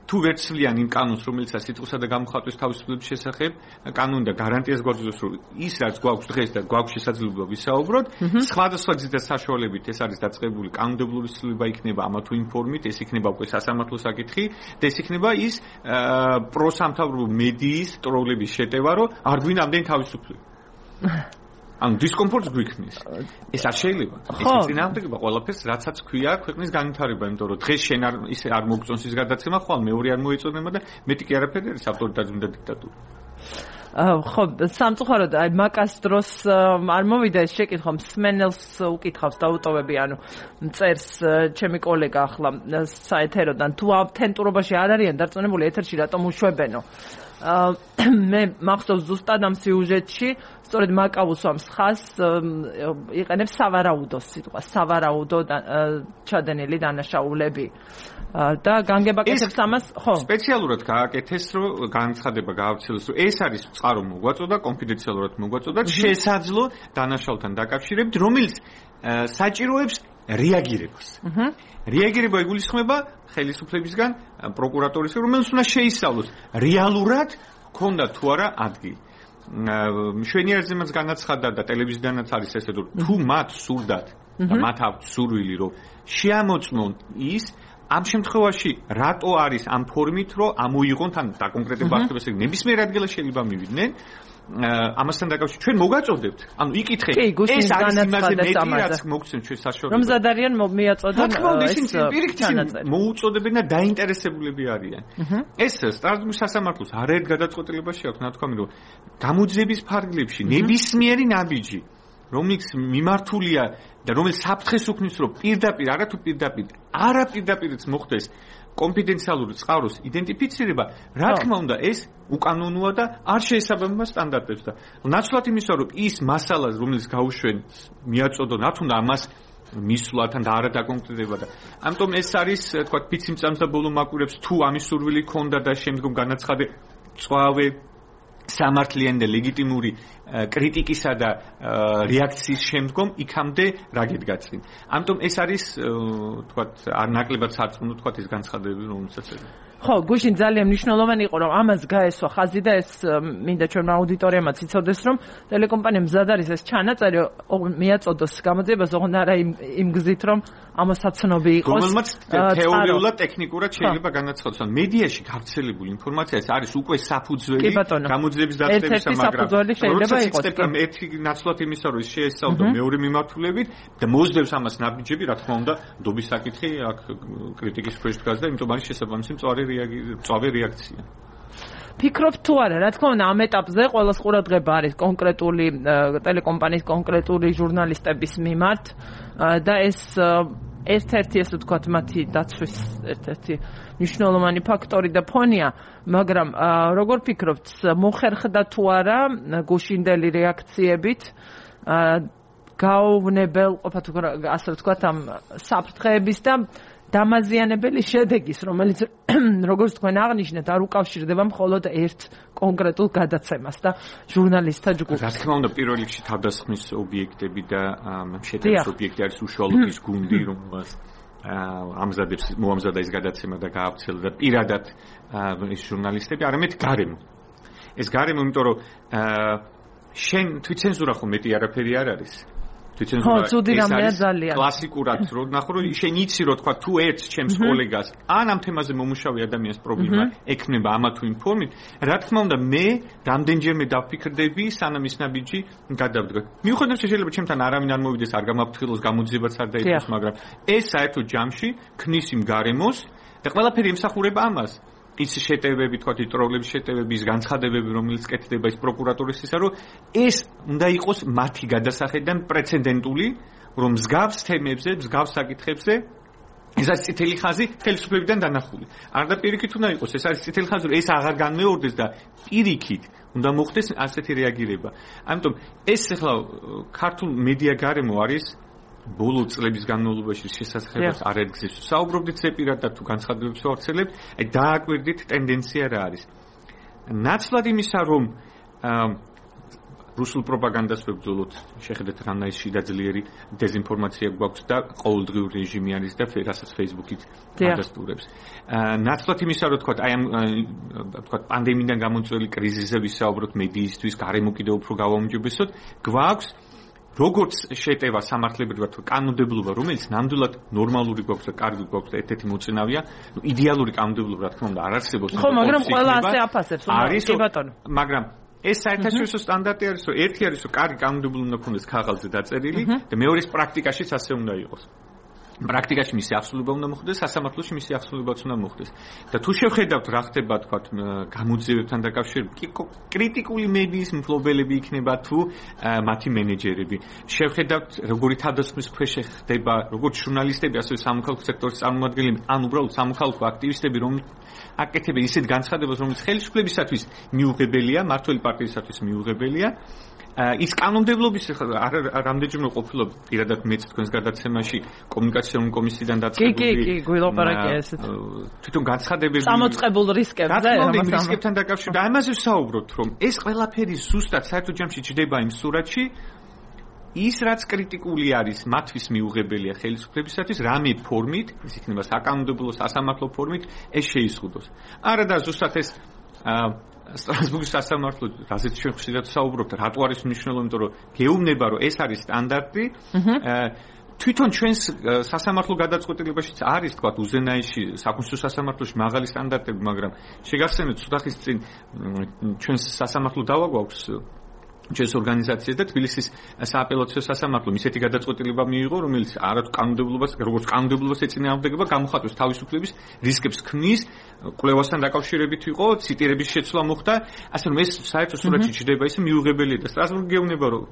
თუ ვერცლიან იმ კანონს, რომელიცაც სიტყვისა და გამოხატვის თავისუფლების შესახებ კანონი და გარანტიას გვაძლევს, რომ ის რაც გვაქვს დღეს და გვაქვს შესაძლებლობა ვისაუბროთ, სხვადასხვა გზით და საშუალებით ეს არის დაწყებული კანონმდებლობის ცვლილება იქნება ამა თუ იმ ფორმით, ეს იქნება უკვე სასამართლო საკითხი და ეს იქნება ის პროსამთავრობო მედიის ტროლების შეტევა, რომ არ გვინდა ამდენი თავისუფლება. ანუ დისკომფორტს გვიქნის. ეს არ შეიძლება. ეს წინააღმდეგობა ყველაფერს, რაცაც ქვია ქვეყნის განვითარება, იმიტომ რომ დღეს შენ არ ისე არ მოგწონს ის გადაცემა, ხვალ მეორე არ მოეწონება და მეტი კი არაფერი არის ავტორიტარიზმი და დიქტატურა. ხო, სამწუხაროდ აი მაკას დროს არ მოვიდა ეს შეკითხვა, მსმენელს უკითხავს დაუტოვები, ანუ წერს ჩემი კოლეგა ახლა საეთეროდან, თუ ავთენტურობაში არ არიან დარწმუნებული ეთერში რატომ უშვებენო. მე მახსოვს ზუსტად ამ სიუჟეტში სწორედ მაკავუსვამს ხას იყენებს სავარაუდოს სიტყვა, სავარაუდო ჩადენილი დანაშაულები და განგებაკეთებს ამას, ხო? სპეციალურად გააკეთეს, რომ განცხადება გაავრცელოს, რომ ეს არის წყარო მოგვაწოდა, კონფიდენციალურად მოგვაწოდა, შესაძლო დანაშაულთან დაკავშირებით, რომელიც საჭიროებს რეაგირებას. რეაგირება იგულისხმება ხელისუფლებისგან, პროკურატურისგან, რომელიც უნდა შეისწავლოს რეალურად ქონდა თუ არა ადგილი. მშვენიერზემაც განაცხადა და ტელევიზიიდანაც არის ესე, რომ თუ მათ სურდათ და მათ აქვთ სურვილი რომ შეამოწმონ ის ამ შემთხვევაში რატო არის ამ ფორმით რომ ამოიღონ თან დაკონკრეტება ახდებას ეგ ნებისმიერ ადგილას შეიძლება მივიდნენ ამასთან დაკავშირებით ჩვენ მოგაწოდებთ ანუ იკითხე ეს არის იმაზე მეტი რაც მოგცემ ჩვენ საშუალებას რომ ზადარიან მიაწოდონ ეს მოუწოდებენ და დაინტერესებულები არიან ეს სტრასბურგის სასამართლოს არაერთ გადაწყვეტილებაში აქვს ნათქვამი რომ გამოძიების ფარგლებში ნებისმიერი ნაბიჯი რომელიც მიმართულია და რომელიც საფრთხეს უქმნის რომ პირდაპირ არათუ პირდაპირ არა პირდაპირიც მოხდეს კონფიდენციალური წყაროს იდენტიფიცირება რა თქმა უნდა ეს უკანონოა და არ შეესაბამება სტანდარტებს და ნაცვლად იმისა რომ ის მასალა რომელიც გაუშვენ მიაწოდონ რა თქმა უნდა ამას მისვლა თან და არა დაკონკრეტება და ამიტომ ეს არის თქვა ფიციმწამს და ბოლო მაკვირებს თუ ამის სურვილი ქონდა და შემდგომ განაცხადე წვავე სამართლიანი და ლეგიტიმური კრიტიკისა და რეაქციის შემდგომ იქამდე რა გედგაცინ. ამიტომ ეს არის თქვათ არ ნაკლებად სარწმუნო თქვათ ეს განცხადებები რომელსაც ხო, გუშინ ძალიან მნიშვნელოვანი იყო რომ ამას გაესვა ხაზი და ეს მინდა ჩვენ აუდიტორიამაც იცოდეს რომ ტელეკომპანია მზად არის ეს ჩანაწერი მიაწოდოს გამოძიებას ოღონდ არა იმ გზით რომ ამოსაცნობი იყოს რომელმაც თეორიულად ტექნიკურად შეიძლება განაცხადოს ან მედიაში გავრცელებული ინფორმაცია ეს არის უკვე საფუძველი გამოძიების დაწყებისა მაგრამ შეიძლება იყოს ერთი ნაცვლად იმისა რომ შეესწავლო მეორე მიმართულებით და მოძებს ამას ნაბიჯები რა თქმა უნდა დობის საკითხი აქ კრიტიკის ქვეშ დგას და იმიტომ არის შესაბამისი მწვავე წავე რეაქცია. ფიქრობ თუ არა, რა თქმა უნდა, ამ ეტაპზე ყველას ყურადღება არის კონკრეტული ტელეკომპანიის კონკრეტული ჟურნალისტების მიმართ და ეს ერთ-ერთი ესე ვთქვათ, მათი დაცვის ერთ-ერთი მნიშვნელოვანი ფაქტორი და ფონია, მაგრამ როგორ ფიქრობთ, მოხერხდა თუ არა გუშინდელი რეაქციებით გაუვნებელ ყოფა თუ ასე ვთქვათ ამ საფრთხეების და დამაზიანებელი შედეგის, რომელიც როგორც თქვენ აღნიშნეთ, არ უკავშირდება მხოლოდ ერთ კონკრეტულ გადაცემას და ჟურნალისტთა ჯგუფს. რა თქმა უნდა, პირველ რიგში თავდასხმის ობიექტები და შეტევის ობიექტი არის უშუალოდ ის გუნდი, რომელსაც ამზადებს მოამზადა ეს გადაცემა და გაავრცელა და პირადად ეს ჟურნალისტები, არამედ გარემო. ეს გარემო, იმიტომ რომ შენ თვითცენზურა ხო მეტი არაფერი არ არის. თვითცენზურა კლასიკურად რო ნახო რომ შენ იცი რომ თქვა თუ ერთს ჩემს კოლეგას ან ამ თემაზე მომუშავე ადამიანს პრობლემა ექნება ამა თუ იმ ფორმით რა თქმა უნდა მე რამდენჯერმე დავფიქრდები სანამ ის ნაბიჯი გადავდგა მიუხედავად შეიძლება ჩემთან არავინ არ მოვიდეს არ გამაფრთხილოს გამოძიებაც არ დაიწყოს მაგრამ ეს საერთოდ ჯამში ქმნის იმ გარემოს და ყველაფერი ემსახურება ამას ის შეტევები, თქვათ, ტროლების შეტევები, ის განცხადებები, რომელიც კეთდება ის პროკურატურისისა, რომ ეს უნდა იყოს მათი გადასახედიდან პრეცედენტული, რომ მსგავს თემებზე, მსგავს საკითხებზე ეს არის წითელი ხაზი ხელისუფლებიდან დანახული. არ და პირიქით უნდა იყოს, ეს არის წითელი ხაზი, რომ ეს აღარ განმეორდეს და პირიქით უნდა მოხდეს ასეთი რეაგირება. ამიტომ ეს ახლა ქართულ მედია გარემო არის ბოლო წლების განმავლობაში შესაძლებლად არ ეძგზის. საუბრობდით ზეპირად და თუ განცხადებებს ვავრცელებთ, აი დააკვირდით ტენდენცია რა არის. ნაცვლად იმისა, რომ რუსულ პროპაგანდას ვებრძოლოთ, შეხედეთ რანაირ შიდაძლიერი დეზინფორმაცია გვაქვს და ყოველდღიურ რეჟიმი არის და რასაც Facebook-ით ადასტურებს. ნაცვლად იმისა, რომ თქვა, აი ამ თქვა პანდემიიდან გამოწვეული კრიზისზე ვისაუბროთ მედიისთვის, გარემო კიდევ უფრო გავაუმჯობესოთ, გვაქვს როგორც შეტევა სამართლებრივად კანონმდებლობა, რომელიც ნამდვილად ნორმალური გვაქვს და კარგი გვაქვს და ერთ-ერთი მოწინავეა, ნუ იდეალური კანონმდებლობა რა თქმა უნდა არ არსებობს. ხო, მაგრამ ყველა ასე აფასებს, კი ბატონო. მაგრამ ეს საერთაშორისო სტანდარტი არის, რომ ერთი არის, რომ კარგი კანონმდებლობა უნდა ქონდეს ქაღალდზე დაწერილი და მეორე პრაქტიკაშიც ასე უნდა იყოს. პრაქტიკაში მისი აღსრულება უნდა მოხდეს, სასამართლოში მისი აღსრულებაც უნდა მოხდეს. და თუ შევხედავთ რა ხდება, თქვათ, გამოძიებებთან დაკავშირებით, კრიტიკული მედიის მფლობელები იქნება თუ მათი მენეჯერები. შევხედავთ, როგორი თავდასხმის ქვეშ ხდება, როგორც ჟურნალისტები, ასევე სამოქალაქო სექტორის წარმომადგენლები, ან უბრალოდ სამოქალაქო აქტივისტები, რომ აკეთებენ ისეთ განცხადებას, რომელიც ხელისუფლებისათვის მიუღებელია, მმართველი პარტიისათვის მიუღებელია. ის კანონმდებლობის რამდენჯერმე ყოფილა პირადად მეც თქვენს გადაცემაში კომუნიკაციონული კომისიიდან დაწყებული. კი, კი, კი, გვილაპარაკია ესეთ. თვითონ განცხადებები წამოწყებულ რისკებზე, ამას რისკებთან დაკავშირებით. ამაზე ვსაუბრობთ, რომ ეს ყველაფერი ზუსტად საერთოდ ჯამში ჯდება იმ სურათში, ის რაც კრიტიკული არის მათთვის მიუღებელია ხელისუფლებისათვის, რამე ფორმით, ის იქნება საკანონმდებლო სასამართლო ფორმით, ეს შეიზღუდოს. არა და ზუსტად ეს სტრასბურგის სასამართლო, რაზეც ჩვენ ხშირად საუბრობთ, რატო არის მნიშვნელოვანი, იმიტომ რომ გეუბნება, რომ ეს არის სტანდარტი, თვითონ ჩვენს სასამართლო გადაწყვეტილებაშიც არის თქვა უზენაიში საკონსტიტუციო სასამართლოში მაღალი სტანდარტები, მაგრამ შეგახსენებთ ცოტა ხის წინ ჩვენს სასამართლო დავაგვაქვს ჩვენს ორგანიზაციას და თბილისის სააპელაციო სასამართლომ ისეთი გადაწყვეტილება მიიღო, რომელიც არათუ კანონმდებლობას, როგორც კანონმდებლობას ეწინააღმდეგება, გამოხატვის თავისუფლების რისკებს ქმნის, კვლევასთან დაკავშირებით იყო, ციტირების შეცვლა მოხდა, ასე რომ ეს საერთო სურათში ჩნდება ისე მიუღებელია და სტრასბურგი გეუბნება, რომ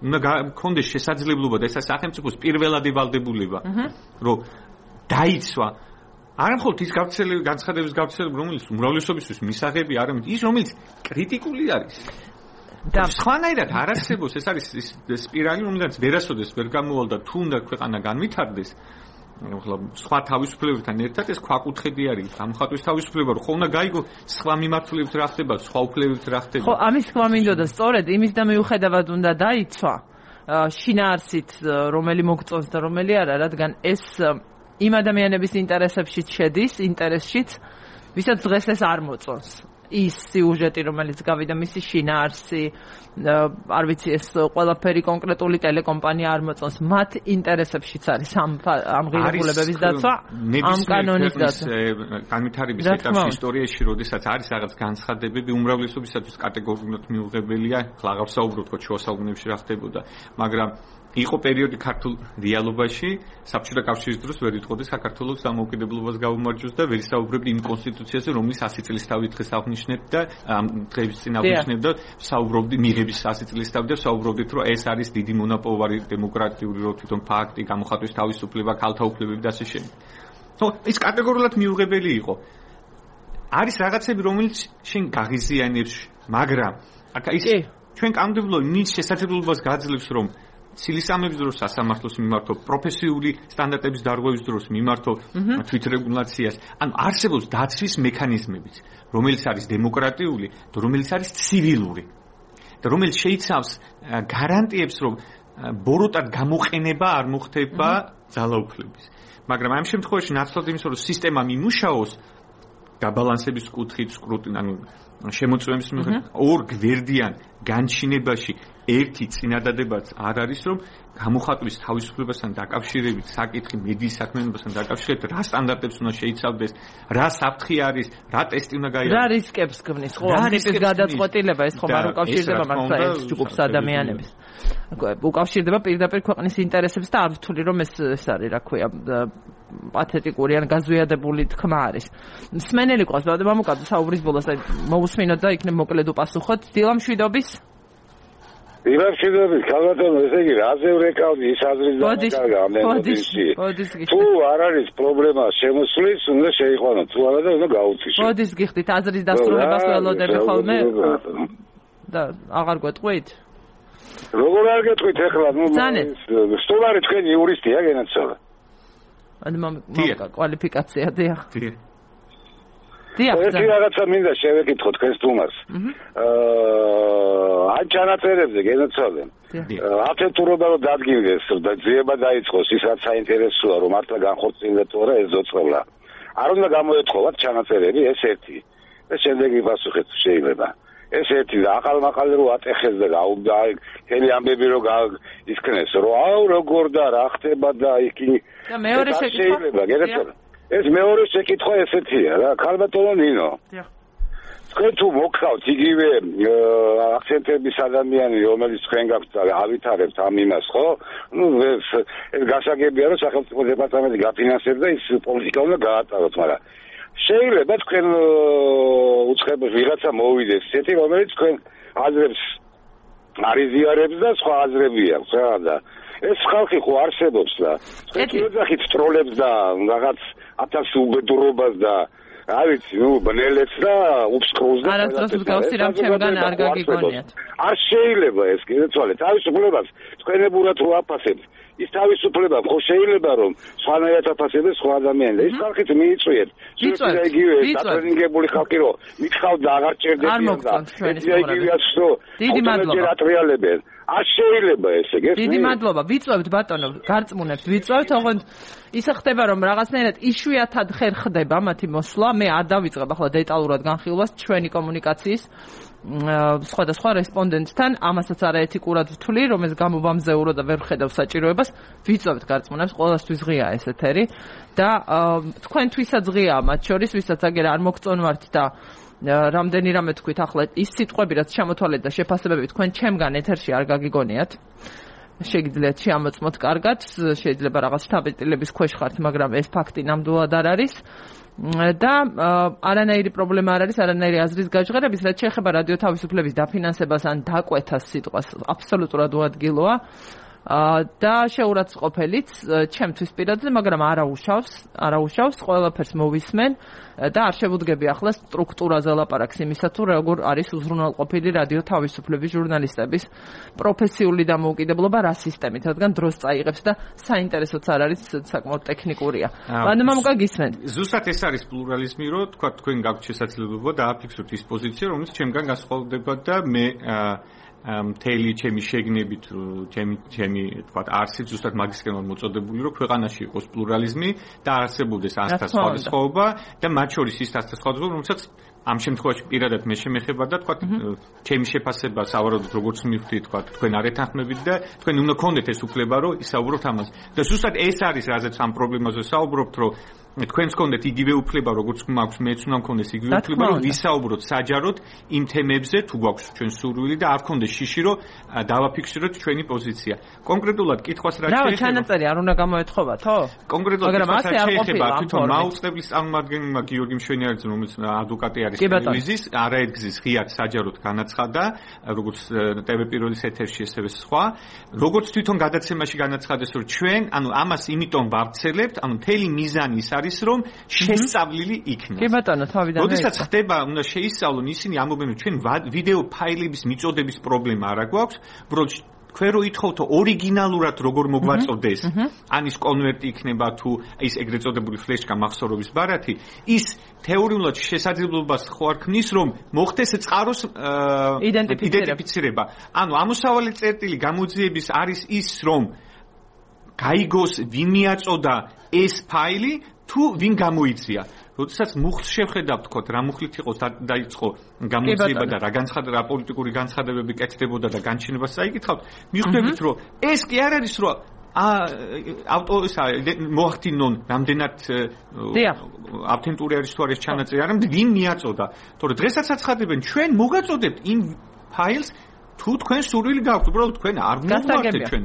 უნდა გქონდეს შესაძლებლობა და ეს სახელმწიფოს პირველადი ვალდებულება, რომ დაიცვა არა მხოლოდ ის გავრცელების განცხადების გავრცელება, რომელიც უმრავლესობისთვის მისაღები, არამედ ის, რომელიც კრიტიკული არის. და სხვანაირად არ არსებობს, ეს არის ის სპირალი, რომელსაც ვერასოდეს ვერ გამოვალ და თუ უნდა ქვეყანა განვითარდეს, ახლა სხვა თავისუფლებებთან ერთად ეს ქვაკუთხედი არის, გამოხატვის თავისუფლება, რომ ხო უნდა გაიგო სხვა მიმართულებით რა ხდება, სხვა უფლებებით რა ხდება. ხო, ამის თქვა მინდოდა, სწორედ იმის და მიუხედავად უნდა დაიცვა შინაარსით, რომელი მოგწონს და რომელი არა, რადგან ეს იმ ადამიანების ინტერესებშიც შედის, ინტერესშიც, ვისაც დღეს ეს არ მოწონს. ის სიუჟეტი, რომელიც გავიდა მისი შინაარსი, არ ვიცი, ეს ყველაფერი კონკრეტული ტელეკომპანია არ მოწონს, მათ ინტერესებშიც არის ამ ამ ღირებულებების დაცვა, ამ კანონის დაცვა. განვითარების ეტაპში ისტორიაში, როდესაც არის რაღაც განცხადებები, უმრავლესობისათვის კატეგორიულად მიუღებელია, ხლა აღარ საუბრობთ ხო შუა საუკუნეებში რა ხდებოდა, მაგრამ იყო პერიოდი ქართულ რეალობაში, საბჭოთა კავშირის დროს ვერ იტყოდი საქართველოს დამოუკიდებლობას გაუმარჯოს და ვერ ისაუბრებდი იმ კონსტიტუციაზე, რომელიც ასი წლის თავი დღეს აღნიშნებდა და ამ დღეების წინ აღნიშნებდა, საუბრობდი მიღების ასი წლის თავი და საუბრობდით, რომ ეს არის დიდი მონაპოვარი დემოკრატიული რო თვითონ ფაქტი, გამოხატვის თავისუფლება, ქალთა უფლებები და ასე შემდეგ. ხო, ის კატეგორიულად მიუღებელი იყო. არის რაღაცები, რომელიც შენ გაღიზიანებს, მაგრამ აკა ის ჩვენ კანონმდებლობა მის შესაძლებლობას გაძლევს, რომ ცილისამების დროს სასამართლოს მიმართო, პროფესიული სტანდარტების დარღვევის დროს მიმართო თვითრეგულაციას, ანუ არსებობს დაცვის მექანიზმებიც, რომელიც არის დემოკრატიული და რომელიც არის ცივილური და რომელიც შეიცავს გარანტიებს, რომ ბოროტად გამოყენება არ მოხდება ძალაუფლების. მაგრამ ამ შემთხვევაში ნაცვლად იმის, რომ სისტემა მიმუშაოს გაბალანსების კუთხით, სკრუტინი, ანუ შემოწმების მიხედვით ორ გვერდიან განჩინებაში ერთი წინადადებაც არ არის, რომ გამოხატვის თავისუფლებასთან დაკავშირებით საკითხი მედიის საქმიანობასთან დაკავშირებით რა სტანდარტებს უნდა შეიცავდეს, რა საფრთხე არის, რა ტესტი უნდა გაიაროს. რა რისკებს ქმნის, ხო, ამ ტიპის გადაწყვეტილება ეს ხომ არ უკავშირდება მართლა ეს ჯგუფს ადამიანებს. უკავშირდება პირდაპირ ქვეყნის ინტერესებს და არ ვთვლი რომ ეს ეს არის, რა ქვია, პათეტიკური ან გაზვიადებული თქმა არის. მსმენელი ყავს, ბავშვი, მამუკადო საუბრის ბოლოს მოусმინოთ და იქნებ მოკლედ უპასუხოთ. დილამშვიდობის დილამშვიდობის, ქალბატონო, ესე იგი, რაზე ვრეკავდი ის აზრის დაკარგა ამ ნებისში. თუ არ არის პრობლემა შემოსვლის, უნდა შეიყვანო, თუ არა და უნდა გაუწიშო. მოდის გიხდით აზრის დასრულებას ველოდები ხოლმე და აღარ გვეტყვით? როგორ არ გეტყვით ახლა, ნუ სტოლარი თქვენი იურისტია გენაცვალა. ანუ მამუკა კვალიფიკაცია დიახ. ერთი რაღაცა მინდა შევეკითხო თქვენს თუმას. აა ან ჩანაწერებზე გენაცვალე. ათეთურობა რომ დადგინდეს და ძიება დაიწყოს ის რაც საინტერესოა რომ მართლა განხორციელდა თუ არა ეს ზოწოლა. არ უნდა გამოეთხოვათ ჩანაწერები ეს ერთი. და შემდეგი პასუხიც შეიძლება. ეს ერთი და აყალმაყალი რო ატეხეს და გაუდა ხელი ამბები რო ისქნეს რომ აუ როგორ და რა ხდება და იქი და მეორე შეკითხვა ეს მეორე შეკითხვა ესეთია რა ქალბატონო ნინო თქვენ თუ მოგხავთ იგივე აქცენტების ადამიანი რომელიც თქვენ გაქვთ ავითარებთ ამ იმას ხო ნუ ეს გასაგებია რომ სახელმწიფო დეპარტამენტი გაფინანსებს და ის პოლიტიკა უნდა გაატაროთ მაგრამ შეიძლება თქვენ უცხოებს ვიღაცა მოვიდეს ესეთი რომელიც თქვენ აზრებს არიზიარებს და სხვა აზრები აქვს რა და ეს ხალხი ხო არსებობს და თქვენ ეძახით ტროლებს და რაღაც ათას უბედურობას და არ ვიცი ნუ ბნელებს და უბსკროლს და არასდროს გავსი რამ ჩემგან არ გაგიგონიათ არ შეიძლება ეს კიდეცვალე თავისუფლებას თქვენებურად რო აფასებთ ის თავისუფლება ხო შეიძლება რომ სხვანაირად აფასებდეს სხვა ადამიანს ის ხალხით მიიწვიეთ შეიძლება იგივე დატრენინგებული ხალხი რომ მითხავთ და აღარ ჭერდებიან და ეს იგივეა რომ დიდი მადლობა ატრიალებენ არ შეიძლება ესე გესმის? დიდი მადლობა. ვიწვევთ ბატონო, გარწმუნებთ, ვიწვევთ, ოღონდ ისე ხდება რომ რაღაცნაირად იშვიათად ხერ ხდება მათი მოსვლა. მე არ დავიწყებ ახლა დეტალურად განხილვას ჩვენი კომუნიკაციის სხვადასხვა რესპონდენტთან, ამასაც არაეთიკურად ვთვლი, რომ ეს გამობამზეურო და ვერ ხედავ საჭიროებას. ვიწვევთ გარწმუნებს, ყველასთვის ღიაა ეს ეთერი და თქვენთვისაც ღიაა მათ შორის, ვისაც აგერ არ მოგწონვართ და რამდენი რამე თქვით ახლა ის სიტყვები რაც ჩამოთვალეთ და შეფასებები თქვენ ჩემგან ეთერში არ გაგიგონიათ. შეგიძლიათ შეამოწმოთ კარგად, შეიძლება რაღაც შთაბეჭდილების ქვეშ ხართ, მაგრამ ეს ფაქტი ნამდვილად არ არის. და არანაირი პრობლემა არ არის, არანაირი აზრის გაჟღერების, რაც შეეხება რადიო თავისუფლების დაფინანსებას ან დაკვეთას სიტყვას აბსოლუტურად უადგილოა. და შეურაცხყოფელიც ჩემთვის პირადად, მაგრამ არაუშავს, არაუშავს, ყველაფერს მოვისმენ და არ შევუდგები ახლა სტრუქტურაზე ლაპარაკს იმისა თუ როგორ არის უზრუნველყოფილი რადიო თავისუფლების ჟურნალისტების პროფესიული დამოუკიდებლობა რა სისტემით, რადგან დროს წაიღებს და საინტერესოც არ არის, საკმაოდ ტექნიკურია. მადლობა მოგისმენთ. ზუსტად ეს არის პლურალიზმი, რომ თქვა თქვენ გაქვთ შესაძლებლობა დააფიქსოთ ის პოზიცია, რომელიც ჩემგან გასხოვდება და მე მთელი ჩემი შეგნებით, ჩემი ჩემი თქვა არსით ზუსტად მაგისკენ ვარ მოწოდებული, რომ ქვეყანაში იყოს პლურალიზმი და არსებობდეს ასთა სხვადასხვაობა და მათ შორის ის ასთა სხვადასხვაობა, რომელსაც ამ შემთხვევაში პირადად მე შემეხება და თქვა ჩემი შეფასება სავარაუდოდ როგორც მივხვდი, თქვა თქვენ არ ეთანხმებით და თქვენ უნდა გქონდეთ ეს უფლება, რომ ისაუბროთ ამაზე. და ზუსტად ეს არის რაზეც ამ პრობლემაზე საუბრობთ, რომ თქვენს გქონდეთ იგივე უფლება, როგორც მაქვს, მეც უნდა მქონდეს იგივე უფლება, რომ ვისაუბროთ საჯაროდ იმ თემებზე, თუ გვაქვს ჩვენ სურვილი და არ გქონდეს შიში, რომ დავაფიქსიროთ ჩვენი პოზიცია. კონკრეტულად კითხვას რა შეიძლება? რა ჩანაწერი არ უნდა გამოეთხოვათო? კონკრეტულად კითხვას რა შეიძლება? თვითონ მაუწყებლის წარმომადგენელმა გიორგი მშვენიარიძე, რომელიც ადვოკატი არის ტელევიზიის, არაერთგზის ღიად საჯაროდ განაცხადა, როგორც ტევ პირველის ეთერში, ესევე სხვა, როგორც თვითონ გადაცემაში განაცხადეს, რომ ჩვენ, ანუ ამას იმიტომ ვავრცელებთ, ანუ მთელი მიზანი ის არის, რომ შესწავლილი იქნას. კი ბატონო, თავიდან. როდესაც ხდება, უნდა შეისწავლონ ისინი ამობენ, რომ ჩვენ ვიდეო ფაილების მიწოდების პრობლემა არ აქვს, უბრალოდ თქვენ რო ითხოვთო ორიგინალურად როგორ მოგვაწოდეს, ან ის კონვერტი იქნება თუ ის ეგრეთ წოდებული ფლეშკა მახსოვრობის ბარათი, ის თეორიულად შესაძლებლობას ხო არ ქმნის, რომ მოხდეს წყაროს იდენტიფიცირება. ანუ ამოსავალი წერტილი გამოძიების არის ის, რომ გაიგოს ვინ მიაწოდა ეს ფაილი, თუ ვინ გამოიწია. როდესაც მუხლს შევხედავთ, თქოთ, რა მუხლით იყო დაიწყო გამოძიება და რა განცხადება, რა პოლიტიკური განცხადებები კეთდებოდა და განჩინებას წაიკითხავთ, მიხვდებით, რომ ეს კი არ არის, რომ ავტორისა მოახდინონ რამდენად ავთენტური არის თუ არის ჩანაწერი, არამედ ვინ მიაწოდა. თორე დღესაც აცხადებენ, ჩვენ მოგაწოდებთ იმ ფაილს, თუ თქვენ სურვილი გაქვთ, უბრალოდ თქვენ არ მოგვართ ჩვენ.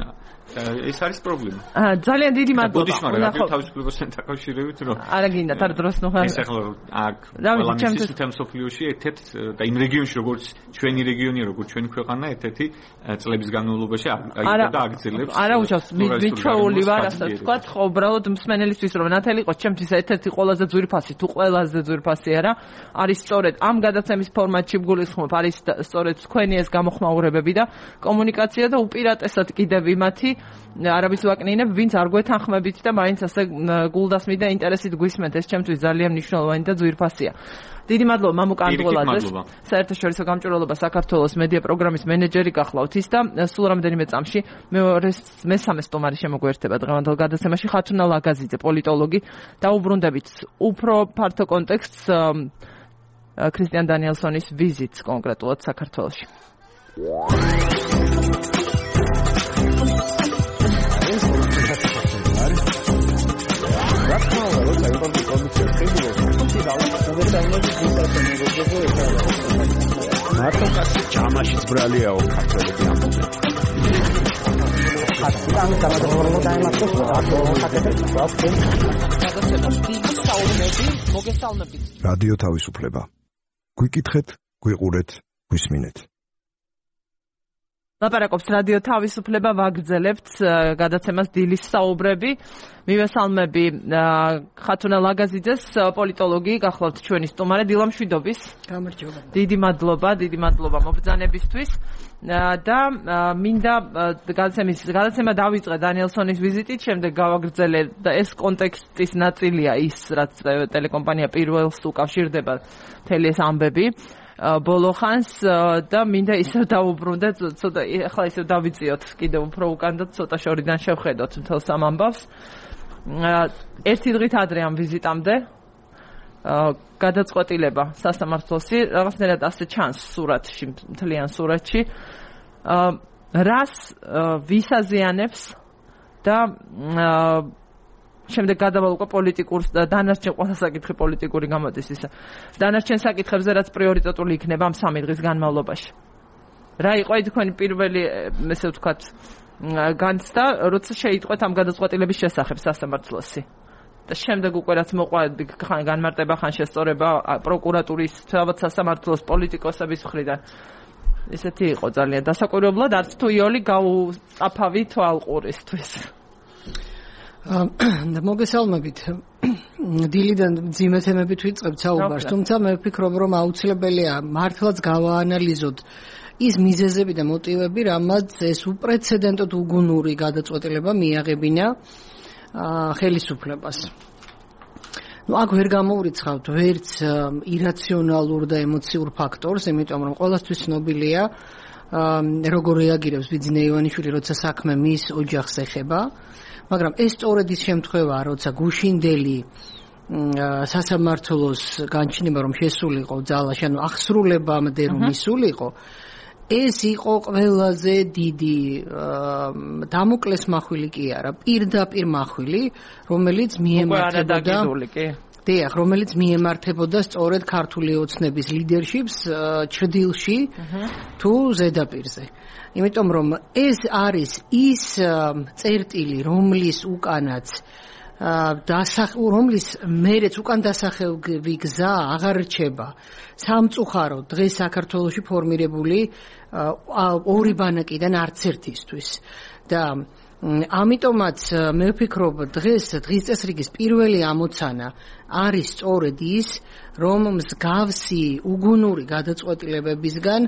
ეს არის პრობლემა. აა ძალიან დიდი მადლობა. ბოდიშმა რადიო თავისუფლებასთან დაკავშირებით, რომ არა გინდა თარ დროს ნუხარ. ეს ახლა აქ ყველამის თემ სოფლიოში ერთ-ერთ და იმ რეგიონში როგორც ჩვენი რეგიონია, როგორც ჩვენი ქვეყანა ერთ-ერთი წლების განმავლობაში აიგო და აგრძელებს. არა უშავს, მიჩვეული ვარ, ასე ვთქვათ, ხო უბრალოდ მსმენელისთვის რომ ნათელი იყოს ჩემთვის ერთ-ერთი ყველაზე ძვირფასი, თუ ყველაზე ძვირფასი არა, არის სწორედ ამ გადაცემის ფორმატში გულისხმობ, არის სწორედ თქვენი ეს გამოხმაურებები და კომუნიკაცია და უპირატესად კიდევ იმათი არავის ვაკნინებ, ვინც არ გვეთანხმებით და მაინც ასე გულდასმით და ინტერესით გვისმენთ, ეს ჩემთვის ძალიან მნიშვნელოვანი და ძვირფასია. დიდი მადლობა მამუკა ანდღოლაძეს, საერთაშორისო გამჭვირვალობა საქართველოს მედია პროგრამის მენეჯერი გახლავთ ის და სულ რამდენიმე წამში მეორე მესამე სტუმარი შემოგვერთება დღევანდელ გადაცემაში ხათუნა ლაგაზიძე, პოლიტოლოგი. დაუბრუნდებით უფრო ფართო კონტექსტს ქრისტიან დანიელსონის ვიზიტს კონკრეტულად საქართველოში. მარტო კაცი ჯამაშიც ბრალიაო ქართველები ამბობენ. ხატიდან გამოდროულო დაემართოს რადიო თავისუფლება. გვიკითხეთ, გვიყურეთ, გვისმინეთ. ლაპარაკობს რადიო თავისუფლება, ვაგრძელებთ გადაცემას დილის საუბრები. მივესალმები ხათუნა ლაგაზიძეს, პოლიტოლოგი, გახლავთ ჩვენი სტუმარი. დილა მშვიდობის. გამარჯობა. დიდი მადლობა, დიდი მადლობა მობრძანებისთვის. და მინდა გადაცემის გადაცემა დავიწყე დანიელსონის ვიზიტით, შემდეგ გავაგრძელე და ეს კონტექსტის ნაწილია ის, რაც ტელეკომპანია პირველს უკავშირდება მთელი ეს ამბები. ბოლო ხანს და მინდა ისევ დაუბრუნდე ცოტა ახლა ისევ დავიწიოთ კიდევ უფრო უკან და ცოტა შორიდან შევხედოთ მთელ სამ ამბავს. ერთი დღით ადრე ამ ვიზიტამდე გადაწყვეტილება სასამართლოსი რაღაცნაირად ასე ჩანს სურათში, მთლიან სურათში, რას ვისაზიანებს და შემდეგ გადავალ უკვე პოლიტიკურ და დანარჩენ ყველა საკითხი პოლიტიკური გამოდის ისა. დანარჩენ საკითხებზე რაც პრიორიტეტული იქნება ამ სამი დღის განმავლობაში. რა იყო თქვენი პირველი, ესე ვთქვათ, განცდა, როცა შეიტყვეთ ამ გადაწყვეტილების შესახებ სასამართლოსი. და შემდეგ უკვე რაც მოყვა ხან განმარტება, ხან შესწორება პროკურატურის, თავად სასამართლოს პოლიტიკოსების მხრიდან. ესეთი იყო ძალიან დასაკვირვებლად, არც თუ იოლი გაუწაფავი თვალყურისთვის. მოგესალმებით. დილიდან მძიმე თემებით ვიწყებთ საუბარს, თუმცა მე ვფიქრობ, რომ აუცილებელია მართლაც გავაანალიზოთ ის მიზეზები და მოტივები, რამაც ეს უპრეცედენტოდ უგუნური გადაწყვეტილება მიაღებინა ხელისუფლებას. ნუ აქ ვერ გამოვრიცხავთ ვერც ირაციონალურ და ემოციურ ფაქტორს, იმიტომ რომ ყველასთვის ცნობილია როგორ რეაგირებს ბიძინა ივანიშვილი, როცა საქმე მის ოჯახს ეხება, მაგრამ ეს სწორედ ის შემთხვევაა, როცა გუშინდელი სასამართლოს განჩინება რომ შესულიყო ძალაში, ანუ აღსრულებამდე რომ ისულიყო, ეს იყო ყველაზე დიდი დამოკლეს მახვილი კი არა, პირდაპირ მახვილი, რომელიც მიემართებოდა დიახ, რომელიც მიემართებოდა სწორედ ქართული ოცნების ლიდერშიპს ჩრდილში თუ ზედაპირზე. იმიტომ რომ ეს არის ის წერტილი, რომლის უკანაც რომლის მერეც უკან დასახელვი გზა აღარ რჩება სამწუხაროდ დღეს საქართველოში ფორმირებული ორი ბანაკიდან არც ერთისთვის და ამიტომაც მე ვფიქრობ დღეს დღის წესრიგის პირველი ამოცანა არის სწორედ ის რომ მსგავსი უგუნური გადაწყვეტილებებისგან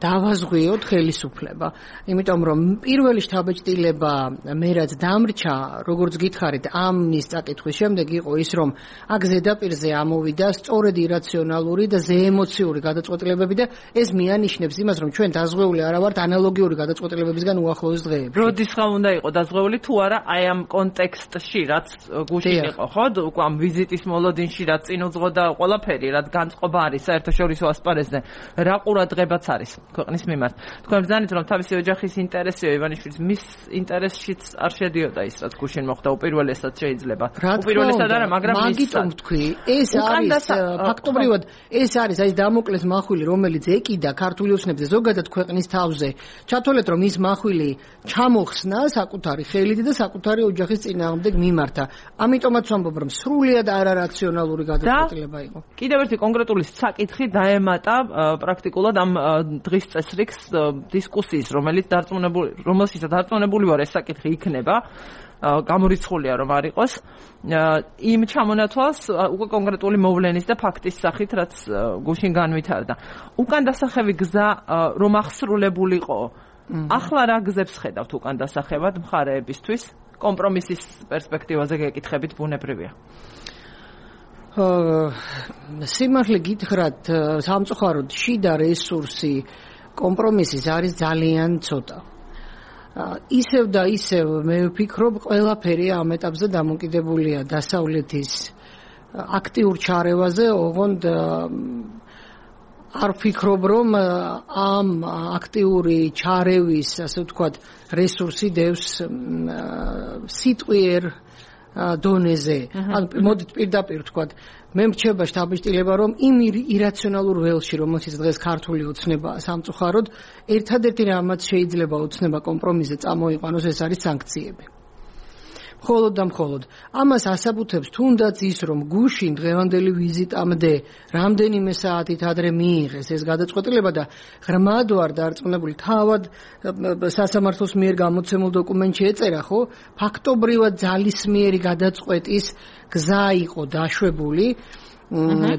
დავაზღვიოთ ხელისუფლება. იმიტომ რომ პირველი შთაბეჭდილება მე რაც დამრჩა, როგორც გითხარით, ამის წაკითხვის შემდეგ იყო ის, რომ აქ ზედაპირზე ამოვიდა სწორედ ირაციონალური და ზეემოციური გადაწყვეტილებები და ეს მიანიშნებს იმას, რომ ჩვენ დაზღვეული არა ვართ ანალოგიური გადაწყვეტილებებისგან უახლოეს დღეებში. როდის ხა უნდა იყო დაზღვეული თუ არა აი ამ კონტექსტში, რაც გუშინ იყო, ხო? უკვე ამ ვიზიტის მოლოდინში რაც წინ უძღოდა ყველაფერი, რაც განწყობა არის საერთაშორისო ასპარეზზე, რა ყურადღებაც არის ქვეყნის მიმართ. თქვენ ბრძანით რომ თავისი ოჯახის ინტერესია ივანიშვილის, მის ინტერესშიც არ შედიოდა ის რაც გუშინ მოხდა უპირველესად შეიძლება. უპირველესად არა, მაგრამ მაგიტომ თქვი, ეს არის ფაქტობრივად ეს არის აი დამოკლეს მახვილი, რომელიც ეკიდა ქართული ოცნებზე ზოგადად ქვეყნის თავზე. ჩათვალეთ რომ ის მახვილი ჩამოხსნა საკუთარი ხელით და საკუთარი ოჯახის წინააღმდეგ მიმართა. ამიტომაც ვამბობ რომ სრულიად არარაციონალური გადაწყვეტილება იყო. კიდევ ერთი კონკრეტული საკითხი დაემატა პრაქტიკულად ამ დღის წესრიგს დისკუსიის, რომელიც დარწმუნებული, რომელშიც დარწმუნებული ვარ ეს საკითხი იქნება, გამორიცხულია რომ არ იყოს, იმ ჩამონათვალს უკვე კონკრეტული მოვლენის და ფაქტის სახით, რაც გუშინ განვითარდა. უკან დასახევი გზა რომ აღსრულებულიყო, ახლა რა გზებს ხედავთ უკან დასახევად მხარეებისთვის? კომპრომისის პერსპექტივაზე გეკითხებით ბუნებრივია. სიმართლე გითხრათ, სამწუხაროდ შიდა რესურსი კომპრომისის არის ძალიან ცოტა. ისევ და ისევ მე ვფიქრობ, ყველაფერი ამ ეტაპზე დამოკიდებულია დასავლეთის აქტიურ ჩარევაზე, ოღონდ არ ვფიქრობ, რომ ამ აქტიური ჩარევის, ასე ვთქვათ, რესურსი დევს სიტყვიერ დონეზე. ანუ მოდით პირდაპირ ვთქვათ, მე მრჩება შთაბეჭდილება, რომ იმ ირაციონალურ ველში, რომელშიც დღეს ქართული ოცნება სამწუხაროდ, ერთადერთი რამაც შეიძლება ოცნება კომპრომისზე წამოიყვანოს, ეს არის სანქციები. მხოლოდ და მხოლოდ ამას ასაბუთებს თუნდაც ის, რომ გუშინ დღევანდელი ვიზიტამდე რამდენიმე საათით ადრე მიიღეს ეს გადაწყვეტილება და ღრმად ვარ დარწმუნებული, თავად სასამართლოს მიერ გამოცემულ დოკუმენტში ეწერა, ხო, ფაქტობრივად ძალისმიერი გადაწყვეტის გზა იყო დაშვებული,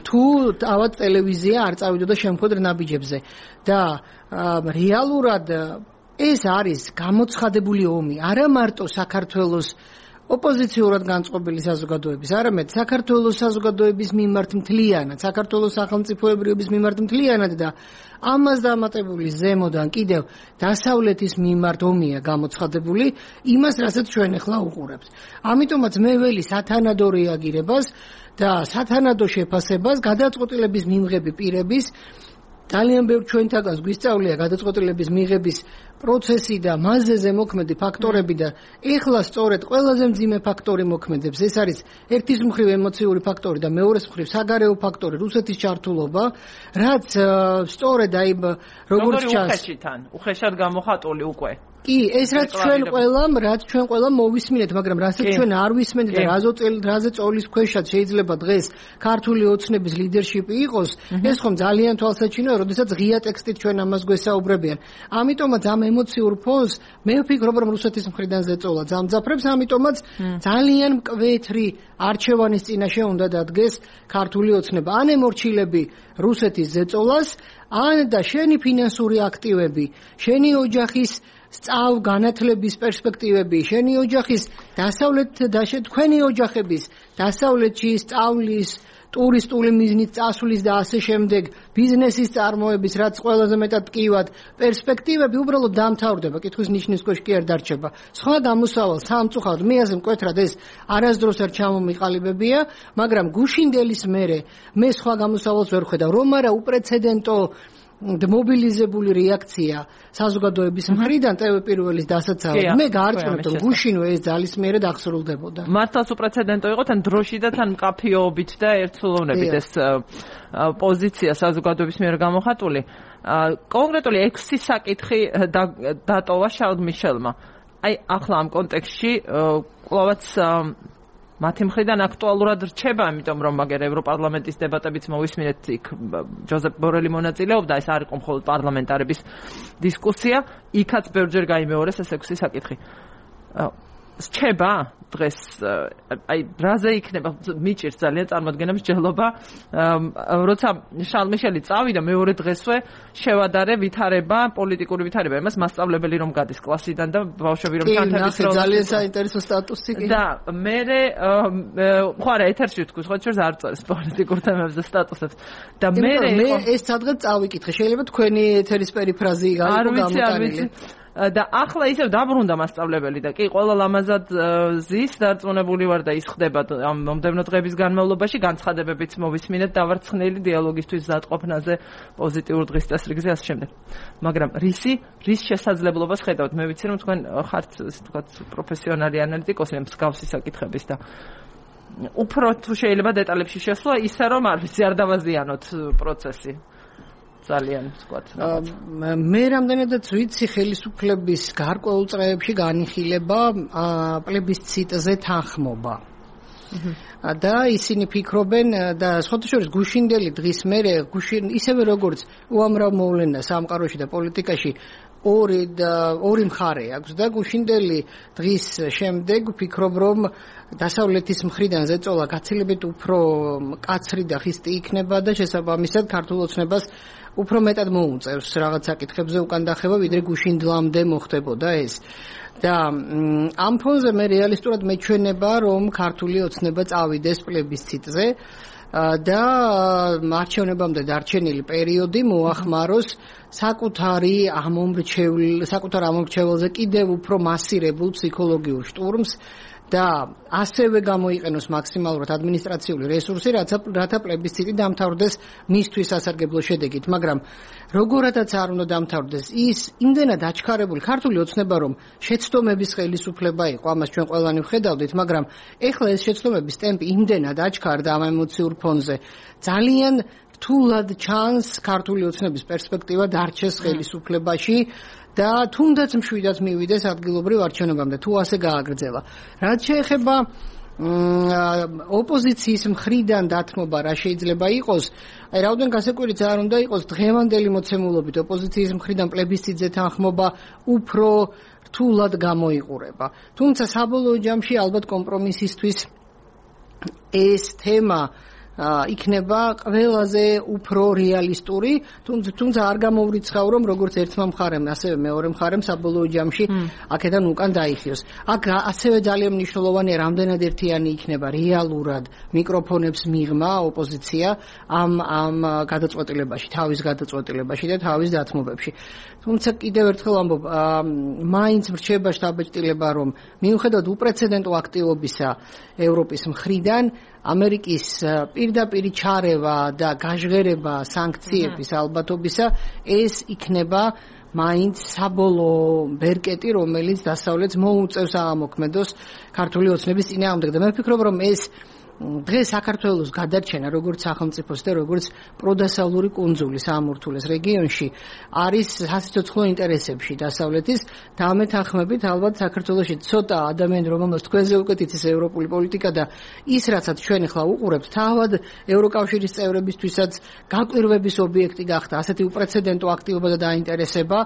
თუ თავად ტელევიზია არ წავიდოდა შემოქმედ ნაბიჯებზე და რეალურად ეს არის გამოცხადებული ომი, არა მარტო საქართველოს ოპოზიციურად განწყობილი საზოგადოების, არამედ საქართველოს საზოგადოების მიმართ მთლიანად, საქართველოს სახელმწიფოებრიობის მიმართ მთლიანად და ამას დამატებული ზემოდან კიდევ დასავლეთის მიმართ ომია გამოცხადებული, იმას რასაც ჩვენ ახლა უყურებთ. ამიტომაც მე ველი სათანადო რეაგირებას და სათანადო შეფასებას გადაწყვეტილების მიმღები პირების ძალიან ბევრ ჩვენთაგანს გვისწავლია გადაწყვეტილების მიღების პროცესი და მასზე ზემოქმედი ფაქტორები და ეხლა სწორედ ყველაზე მძიმე ფაქტორი მოქმედებს. ეს არის ერთის მხრივ ემოციური ფაქტორი და მეორეს მხრივ საგარეო ფაქტორი რუსეთის ჩართულობა, რაც სწორედ აი როგორც ჩანს უხეშიდან, უხეშად გამოხატული უკვე. კი, ეს რაც ჩვენ ყველამ, რაც ჩვენ ყველამ მოვისმინეთ, მაგრამ რასაც ჩვენ არ ვისმენთ და რაზე წოლის ქვეშად შეიძლება დღეს ქართული ოცნების ლიდერშიპი იყოს, ეს ხომ ძალიან თვალსაჩინოა, როდესაც ღია ტექსტით ჩვენ ამას გვესაუბრებიან. ამიტომაც ამ ემოციურ ფონს მე ვფიქრობ, რომ რუსეთის მხრიდან ზეწოლა ძამძაფრებს, ამიტომაც ძალიან მკვეთრი არჩევანის წინაშე უნდა დადგეს ქართული ოცნება. ან ემორჩილები რუსეთის ზეწოლას, ან და შენი ფინანსური აქტივები, შენი ოჯახის სწავ განათლების პერსპექტივები, შენი ოჯახის დასავლეთ და თქვენი ოჯახების დასავლეთში სწავლის, ტურისტული მიზნით წასვლის და ასე შემდეგ ბიზნესის წარმოების, რაც ყველაზე მეტად ტკივად პერსპექტივები უბრალოდ დამთავრდება, კითხვის ნიშნის ქვეშ კი არ დარჩება. სხვა გამოსავალ სამწუხაროდ მე ასე მკვეთრად ეს არასდროს არ ჩამომიყალიბებია, მაგრამ გუშინდელის მერე მე სხვა გამოსავალს ვერ ხედავ, რომ არა უპრეცედენტო მობილიზებული რეაქცია საზოგადოების მხრიდან ტევ პირველის დასაცავად. მე გაარკვევთ, რომ გუშინვე ეს ძალისმიერად აღსრულდებოდა. მართლაც უპრეცედენტო იყო თან დროში და თან მკაფიობით და ერთსულოვნებით ეს პოზიცია საზოგადოების მიერ გამოხატული. კონკრეტული ექვსი საკითხი დატოვა შარლ მიშელმა. აი ახლა ამ კონტექსტში კვლავაც მათი მხრიდან აქტუალურად რჩება, იმიტომ რომ მაგერ ევროპარლამენტის დებატებიც მოვისმინეთ, იქ ჯოზეფ ბორელი მონაწილეობდა, ეს არ იყო მხოლოდ პარლამენტარების დისკუსია, იქაც ბევრჯერ გაიმეორეს ეს ექვსი საკითხი. რჩება დღეს, აი რაზე იქნება მიჭირს ძალიან წარმოადგენა მსჯელობა, როცა შარლ მიშელი წავიდა მეორე დღესვე შევადარე ვითარება, პოლიტიკური ვითარება, იმას მასწავლებელი რომ გადის კლასიდან და ბავშვები რომ თანხების რო ძალიან საინტერესო სტატუსი კი და მე ხო არა ეთერში ვთქვის, ხო ჩვენს არ წერს პოლიტიკურ თემებზე სტატუსებს და მე მე ეს სადღაც წავიკითხე, შეიძლება თქვენი ეთერის პერიფრაზი გაიგო გამოტანილი და ახლა ისევ დაბრუნდა მასწავლებელი და კი ყველა ლამაზად ზის დარწმუნებული ვარ და ის ხდება ამ მომდევნო დღეების განმავლობაში განცხადებებიც მოვისმინეთ დავარცხნელი დიალოგისთვის ზადყოფნაზე პოზიტიურ დღის წესრიგზე ასე შემდეგ. მაგრამ რისი რის შესაძლებლობას ხედავთ? მე ვიცი რომ თქვენ ხართ ასე ვთქვათ პროფესიონალი ანალიტიკოსი მსგავსი საკითხების და უფრო თუ შეიძლება დეტალებში შესვლა ისე რომ არ ვიცი არ დავაზიანოთ პროცესი. ძალიან ვთქვათ. მე რამდენადაც ვიცი ხელისუფლების გარკვეულ წრეებში განიხილება პლებისციტზე თანხმობა. და ისინი ფიქრობენ და სხვათა შორის გუშინდელი დღის მერე ისევე როგორც უამრავ მოვლენას სამყაროში და პოლიტიკაში ორი და ორი მხარე აქვს და გუშინდელი დღის შემდეგ ვფიქრობ რომ დასავლეთის მხრიდან ზეწოლა გაცილებით უფრო მკაცრი და ხისტი იქნება და შესაბამისად ქართულ ოცნებას უფრო მეტად მოუწევს რაღაც საკითხებზე უკან დახევა ვიდრე გუშინდლამდე მოხდებოდა ეს. და ამ ფონზე მე რეალისტურად მეჩვენება რომ ქართული ოცნება წავიდეს პლებისციტზე და არჩევნებამდე დარჩენილი პერიოდი მოახმაროს საკუთარი ამომრჩევლ საკუთარ ამომრჩეველზე კიდევ უფრო მასირებულ ფსიქოლოგიურ შტურმს და ასევე გამოიყენოს მაქსიმალურად ადმინისტრაციული რესურსი, რათა პლებისციტი დამთავრდეს მისთვის სასარგებლო შედეგით, მაგრამ როგორადაც არ უნდა დამთავრდეს ის იმდენად აჩქარებული ქართული ოცნება რომ შეცდომების ხელისუფლება იყო, ამას ჩვენ ყველანი ვხედავდით, მაგრამ ეხლა ეს შეცდომების ტემპი იმდენად აჩქარდა ამ ემოციურ ფონზე, ძალიან რთულად ჩანს ქართული ოცნების პერსპექტივა დარჩეს ხელისუფლებაში და თუნდაც მშვიდად მივიდეს ადგილობრივ არჩევნებამდე თუ ასე გააგრძელა. რაც შეეხება ოპოზიციის მხრიდან დათმობა რა შეიძლება იყოს, აი რაოდენ გასაკვირიც არ უნდა იყოს დღევანდელი მოცემულობით ოპოზიციის მხრიდან პლებისციტზე თანხმობა უფრო რთულად გამოიყურება. თუმცა საბოლოო ჯამში ალბათ კომპრომისისთვის ეს თემა იქნება ყველაზე უფრო რეალისტური, თუმცა არ გამოვრიცხავ, რომ როგორც ერთმა მხარემ, ასევე მეორე მხარემ საბოლოო ჯამში აქედან უკან დაიხიოს. აქ ასევე ძალიან მნიშვნელოვანია, რამდენად ერთიანი იქნება რეალურად მიკროფონებს მიღმა ოპოზიცია ამ ამ გადაწყვეტილებაში, თავის გადაწყვეტილებაში და თავის დათმობებში. თუმცა კიდევ ერთხელ ამბობ, მაინც მრჩება შთაბეჭდილება, რომ მიუხედავად უპრეცედენტო აქტივობისა ევროპის მხრიდან ამერიკის პირდაპირი ჩარევა და გაჟღერება სანქციების ალბათობისა ეს იქნება მაინც საბოლოო ბერკეტი, რომელიც დასავლეთს მოუწევს აღმოქმედოს ქართული ოცნების წინააღმდეგ და მე ვფიქრობ, რომ ეს დღეს საქართველოს გადარჩენა როგორც სახელმწიფოს და როგორც პროდასავლური კუნძული საამურთულეს რეგიონში არის სასიცოცხლო ინტერესებში დასავლეთის და ამ თანხმებით ალბათ საქართველოში ცოტა ადამიანი რომელმაც თქვენზე უკეთ იცის ევროპული პოლიტიკა და ის რაცაც ჩვენ ახლა უყურებთ თავად ევროკავშირის წევრებისთვისაც გაკვირვების ობიექტი გახდა ასეთი უპრეცედენტო აქტივობა და დაინტერესება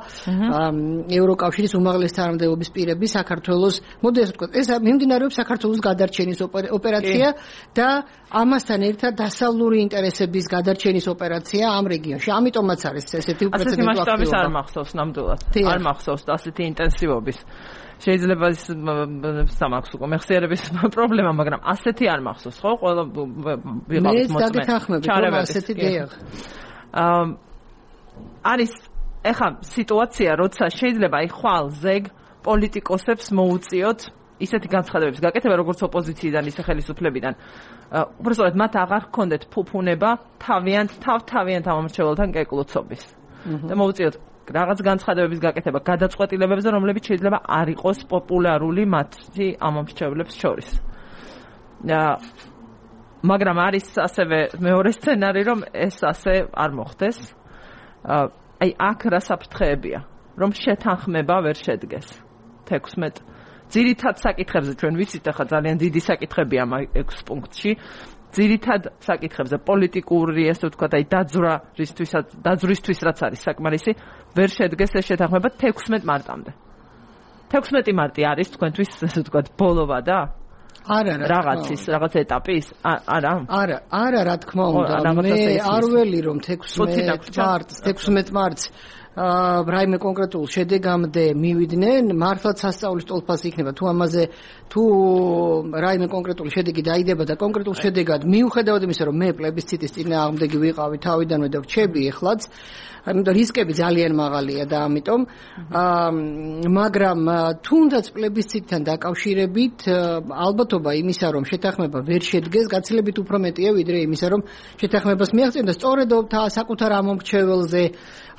ევროკავშირის უმაღლეს თანამდებობის პირები საქართველოს მოდი ასე ვთქვათ ეს მიმდინარეობს საქართველოს გადარჩენის ოპერაცია და ამასთან ერთად დასავლური ინტერესების გადარჩენის ოპერაცია ამ რეგიონში. ამიტომაც არის ესეთი უპრეცედენტო აქტივობა. ასეთი მასშტაბის არ მახსოვს ნამდვილად. არ მახსოვს ასეთი ინტენსივობის. შეიძლება სამახსოვს უკვე მეხსიერების პრობლემა, მაგრამ ასეთი არ მახსოვს, ხო? ყველა ვიღავთ მოწმე. ჩარევები ასეთი დიახ. არის ეხა სიტუაცია, როცა შეიძლება აი ხვალ ზეგ პოლიტიკოსებს მოუწიოთ ისეთი განცხადებების გაკეთება, როგორც ოპოზიციიდან, ისე ხელისუფლებიდან. უბრალოდ მათ აღარ ჰქონდეთ ფუფუნება თავიანთ თავ-თავიანთ ამომრჩეველთან კეკლუცობის. და მოუწიოთ რაღაც განცხადებების გაკეთება, გადაწყვეტილებებზე, რომლებიც შეიძლება არ იყოს პოპულარული მათი ამომრჩევლებს შორის. მაგრამ არის ასევე მეორე სცენარი, რომ ეს ასე არ მოხდეს. აი აქ რა საფრთხეებია, რომ შეთანხმება ვერ შედგეს. თექვსმეტ ძირითად საკითხებზე ჩვენ ვიცით ახლა ძალიან დიდი საკითხებია ამ ექვს პუნქტში. ძირითად საკითხებზე პოლიტიკური, ესე ვთქვათ, აი დაძვრისთვისაც, დაძვრისთვის რაც არის საკმარისი, ვერ შედგეს ეს შეთანხმება თექვსმეტ მარტამდე. თექვსმეტი მარტი არის თქვენთვის, ესე ვთქვათ, ბოლოვა და არა რა რაღაცის, რაღაც ეტაპის? არა? არა, არა, რა თქმა უნდა. მე არ ველი რომ თექვსმეტ მარტს, თექვსმეტ მარტს აა რაიმე კონკრეტულ შედეგამდე მივიდნენ, მართლაც სასწაულის ტოლფასი იქნება თუ ამაზე თუ რაიმე კონკრეტული შედეგი დაიდება და კონკრეტულ შედეგად მიუხედავად იმისა, რომ მე პლებისციტის წინააღმდეგი ვიყავი თავიდანვე და ვჩები ეხლაც, ამიტომ რისკები ძალიან მაღალია და ამიტომ აა მაგრამ თუნდაც პლებისციტთან დაკავშირებით ალბათობა იმისა, რომ შეთანხმება ვერ შედგეს, გაცილებით უფრო მეტია ვიდრე იმისა, რომ შეთანხმებას მიაღწიონ და სწორედ საკუთარ ამომრჩეველზე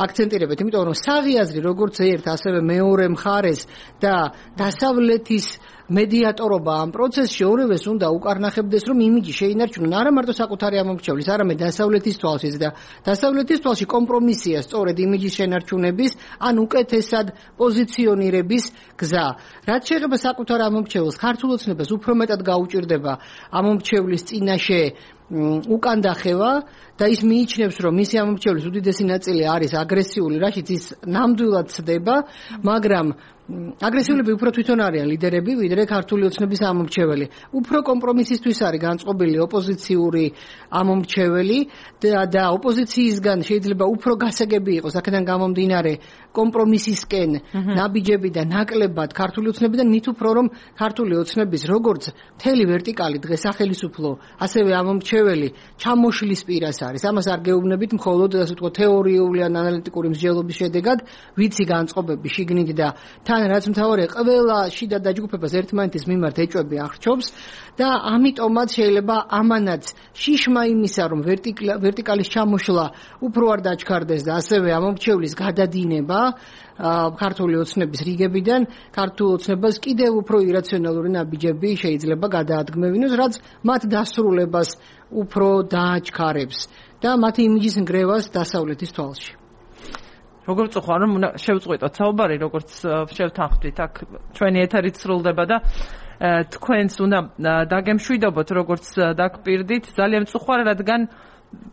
აქცენტირებთ, იმიტომ რომ საღი აზრი როგორც ერთ, ასევე მეორე მხარეს და დასავლეთის მედიატორობა ამ პროცესში ორივეს უნდა უკარნახებდეს, რომ იმიჯი შეინარჩუნონ არა მარტო საკუთარი ამომრჩევლის, არამედ დასავლეთის თვალშიც და დასავლეთის თვალში კომპრომისია სწორედ იმიჯის შენარჩუნების, ან უკეთესად პოზიციონირების გზა. რაც შეეხება საკუთარ ამომრჩეველს, ქართულ ოცნებას უფრო მეტად გაუჭირდება ამომრჩევლის წინაშე უკან დახევა და ის მიიჩნევს, რომ მისი ამომრჩევლის უდიდესი ნაწილი არის აგრესიული, რაშიც ის ნამდვილად ცდება, მაგრამ აგრესიულები უფრო თვითონ არიან ლიდერები, ვიდრე ქართული ოცნების ამომრჩეველი. უფრო კომპრომისისთვის არის განწყობილი ოპოზიციური ამომრჩეველი და, და ოპოზიციისგან შეიძლება უფრო გასაგები იყოს, აქედან გამომდინარე კომპრომისისკენ ნაბიჯები და ნაკლებად ქართული ოცნებიდან, მით უფრო რომ ქართული ოცნების როგორც მთელი ვერტიკალი დღეს სახელისუფლო, ასევე ამომრჩეველი ჩამოშლის პირას არის. ამას არ გეუბნებით მხოლოდ ასე ვთქვათ თეორიული ან ანალიტიკური მსჯელობის შედეგად, ვიცი განწყობები შიგნით და თან რაც მთავარია, ყველა შიდა დაჯგუფებას ერთმანეთის მიმართ ეჭვები აღრჩობს და ამიტომაც შეიძლება ამანაც შიშმა იმისა, რომ ვერტიკალის ჩამოშლა უფრო არ დაჩქარდეს და ასევე ამომრჩევლის გადადინება ქართული ოცნების რიგებიდან, ქართულ ოცნებას კიდევ უფრო ირაციონალური ნაბიჯები შეიძლება გადაადგმევინოს, რაც მათ დასრულებას უფრო დააჩქარებს და მათი იმიჯის ნგრევას დასავლეთის თვალში. როგორც ხო, რომ შევწყვიტოთ საუბარი, როგორც შევთანხმდით, აქ ჩვენი ეთერით სრულდება და თქვენს უნდა დაგემშვიდობოთ, როგორც დაგპირდით, ძალიან მწუხვარ, რადგან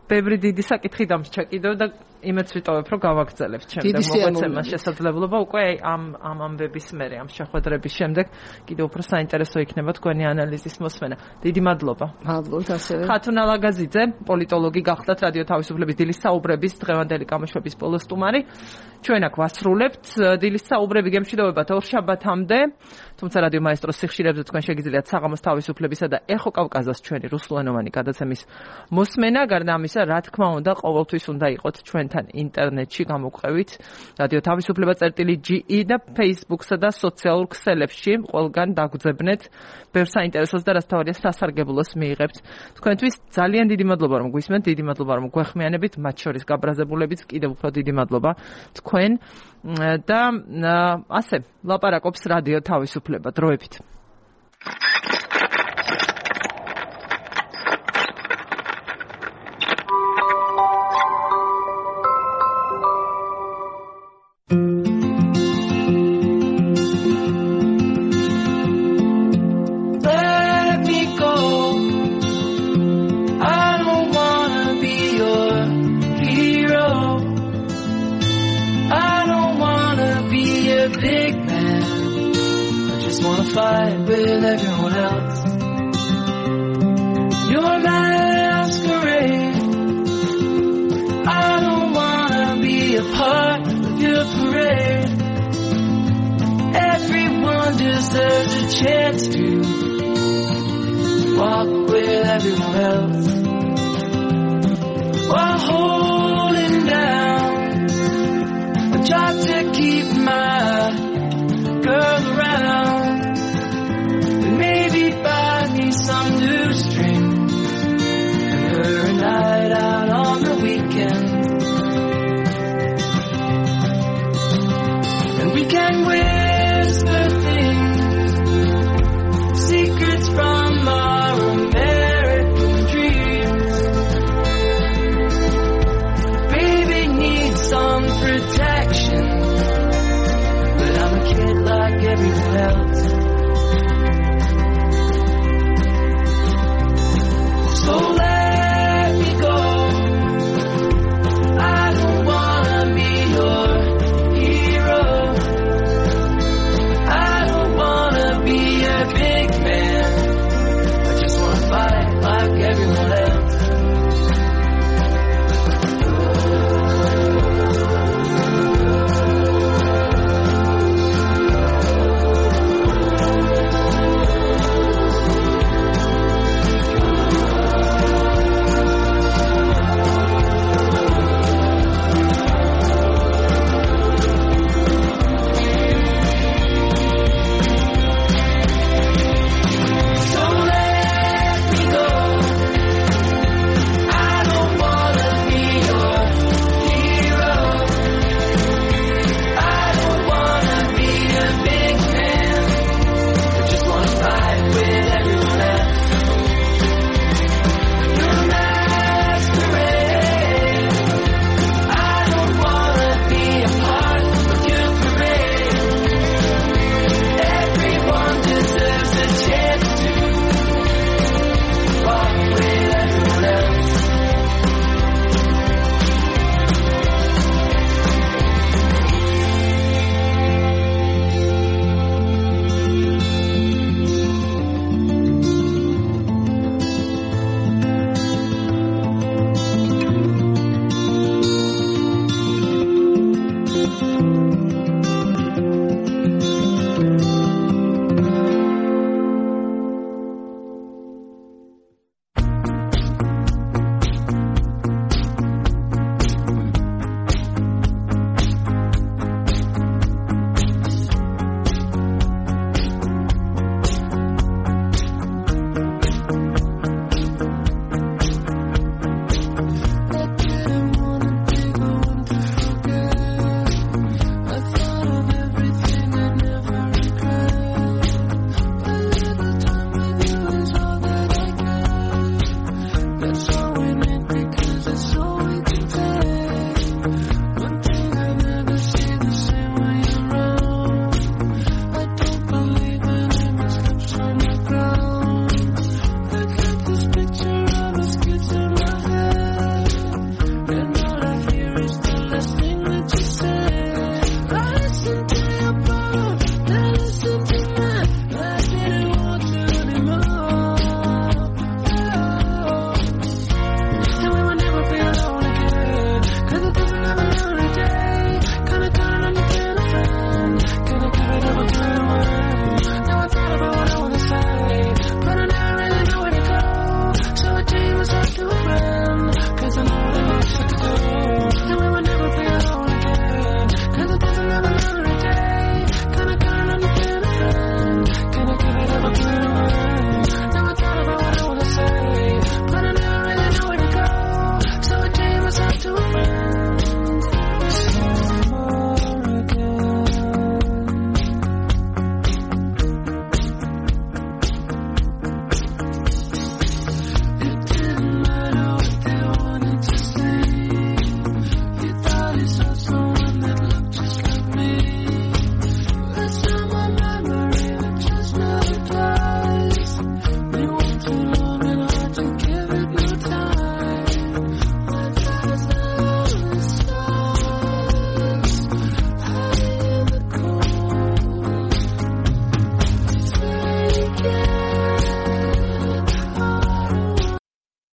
ბევრი დიდი საკითხი დამრჩა კიდევ და იმეც ვიტოვებ, რომ გავაგრძელებთ შემდეგ მოგვეცემა შესაძლებლობა უკვე ამ ამ ამბების მერე, ამ შეხვედრების შემდეგ კიდევ უფრო საინტერესო იქნება თქვენი ანალიზის მოსმენა. დიდი მადლობა. მადლობთ ასევე. ხათუნა ლაგაზიძე, პოლიტოლოგი გახდათ რადიო თავისუფლების დილის საუბრების დღევანდელი გამოშვების ბოლო სტუმარი. ჩვენ აქ ვასრულებთ დილის საუბრები გემშვიდობებათ ორშაბათამდე. თუმცა რადიო მაესტროს სიხშირეებზე თქვენ შეგიძლიათ საღამოს თავისუფლებისა და ეხო კავკაზას ჩვენი რუსულენოვანი გადაცემის მოსმენა. გარდა ამისა, რა თქმა უნდა, ყოველთვის უნდა იყოთ ჩვენთან ინტერნეტში გამოგვყევით რადიო თავისუფლება წერტილი ჯი ი და Facebook-სა და სოციალურ ქსელებში ყველგან დაგვძებნეთ ბევრ საინტერესოს და რასთავარია სასარგებლოს მიიღებთ. თქვენთვის ძალიან დიდი მადლობა რომ გვისმენთ, დიდი მადლობა რომ გვეხმიანებით, მათ შორის გაბრაზებულებიც კიდევ უფრო დიდი მადლობა თქვენ და ასე ლაპარაკობს რადიო თავისუფლება დროებით. Fight with everyone else. You're my masquerade. I don't wanna be a part of your parade. Everyone deserves a chance to walk with everyone else while holding down. I try to keep my girl around. Maybe buy me some new strings and her a night out on the weekend. And we can whisper things, secrets from our American dreams. Baby needs some protection, but I'm a kid like everyone else. So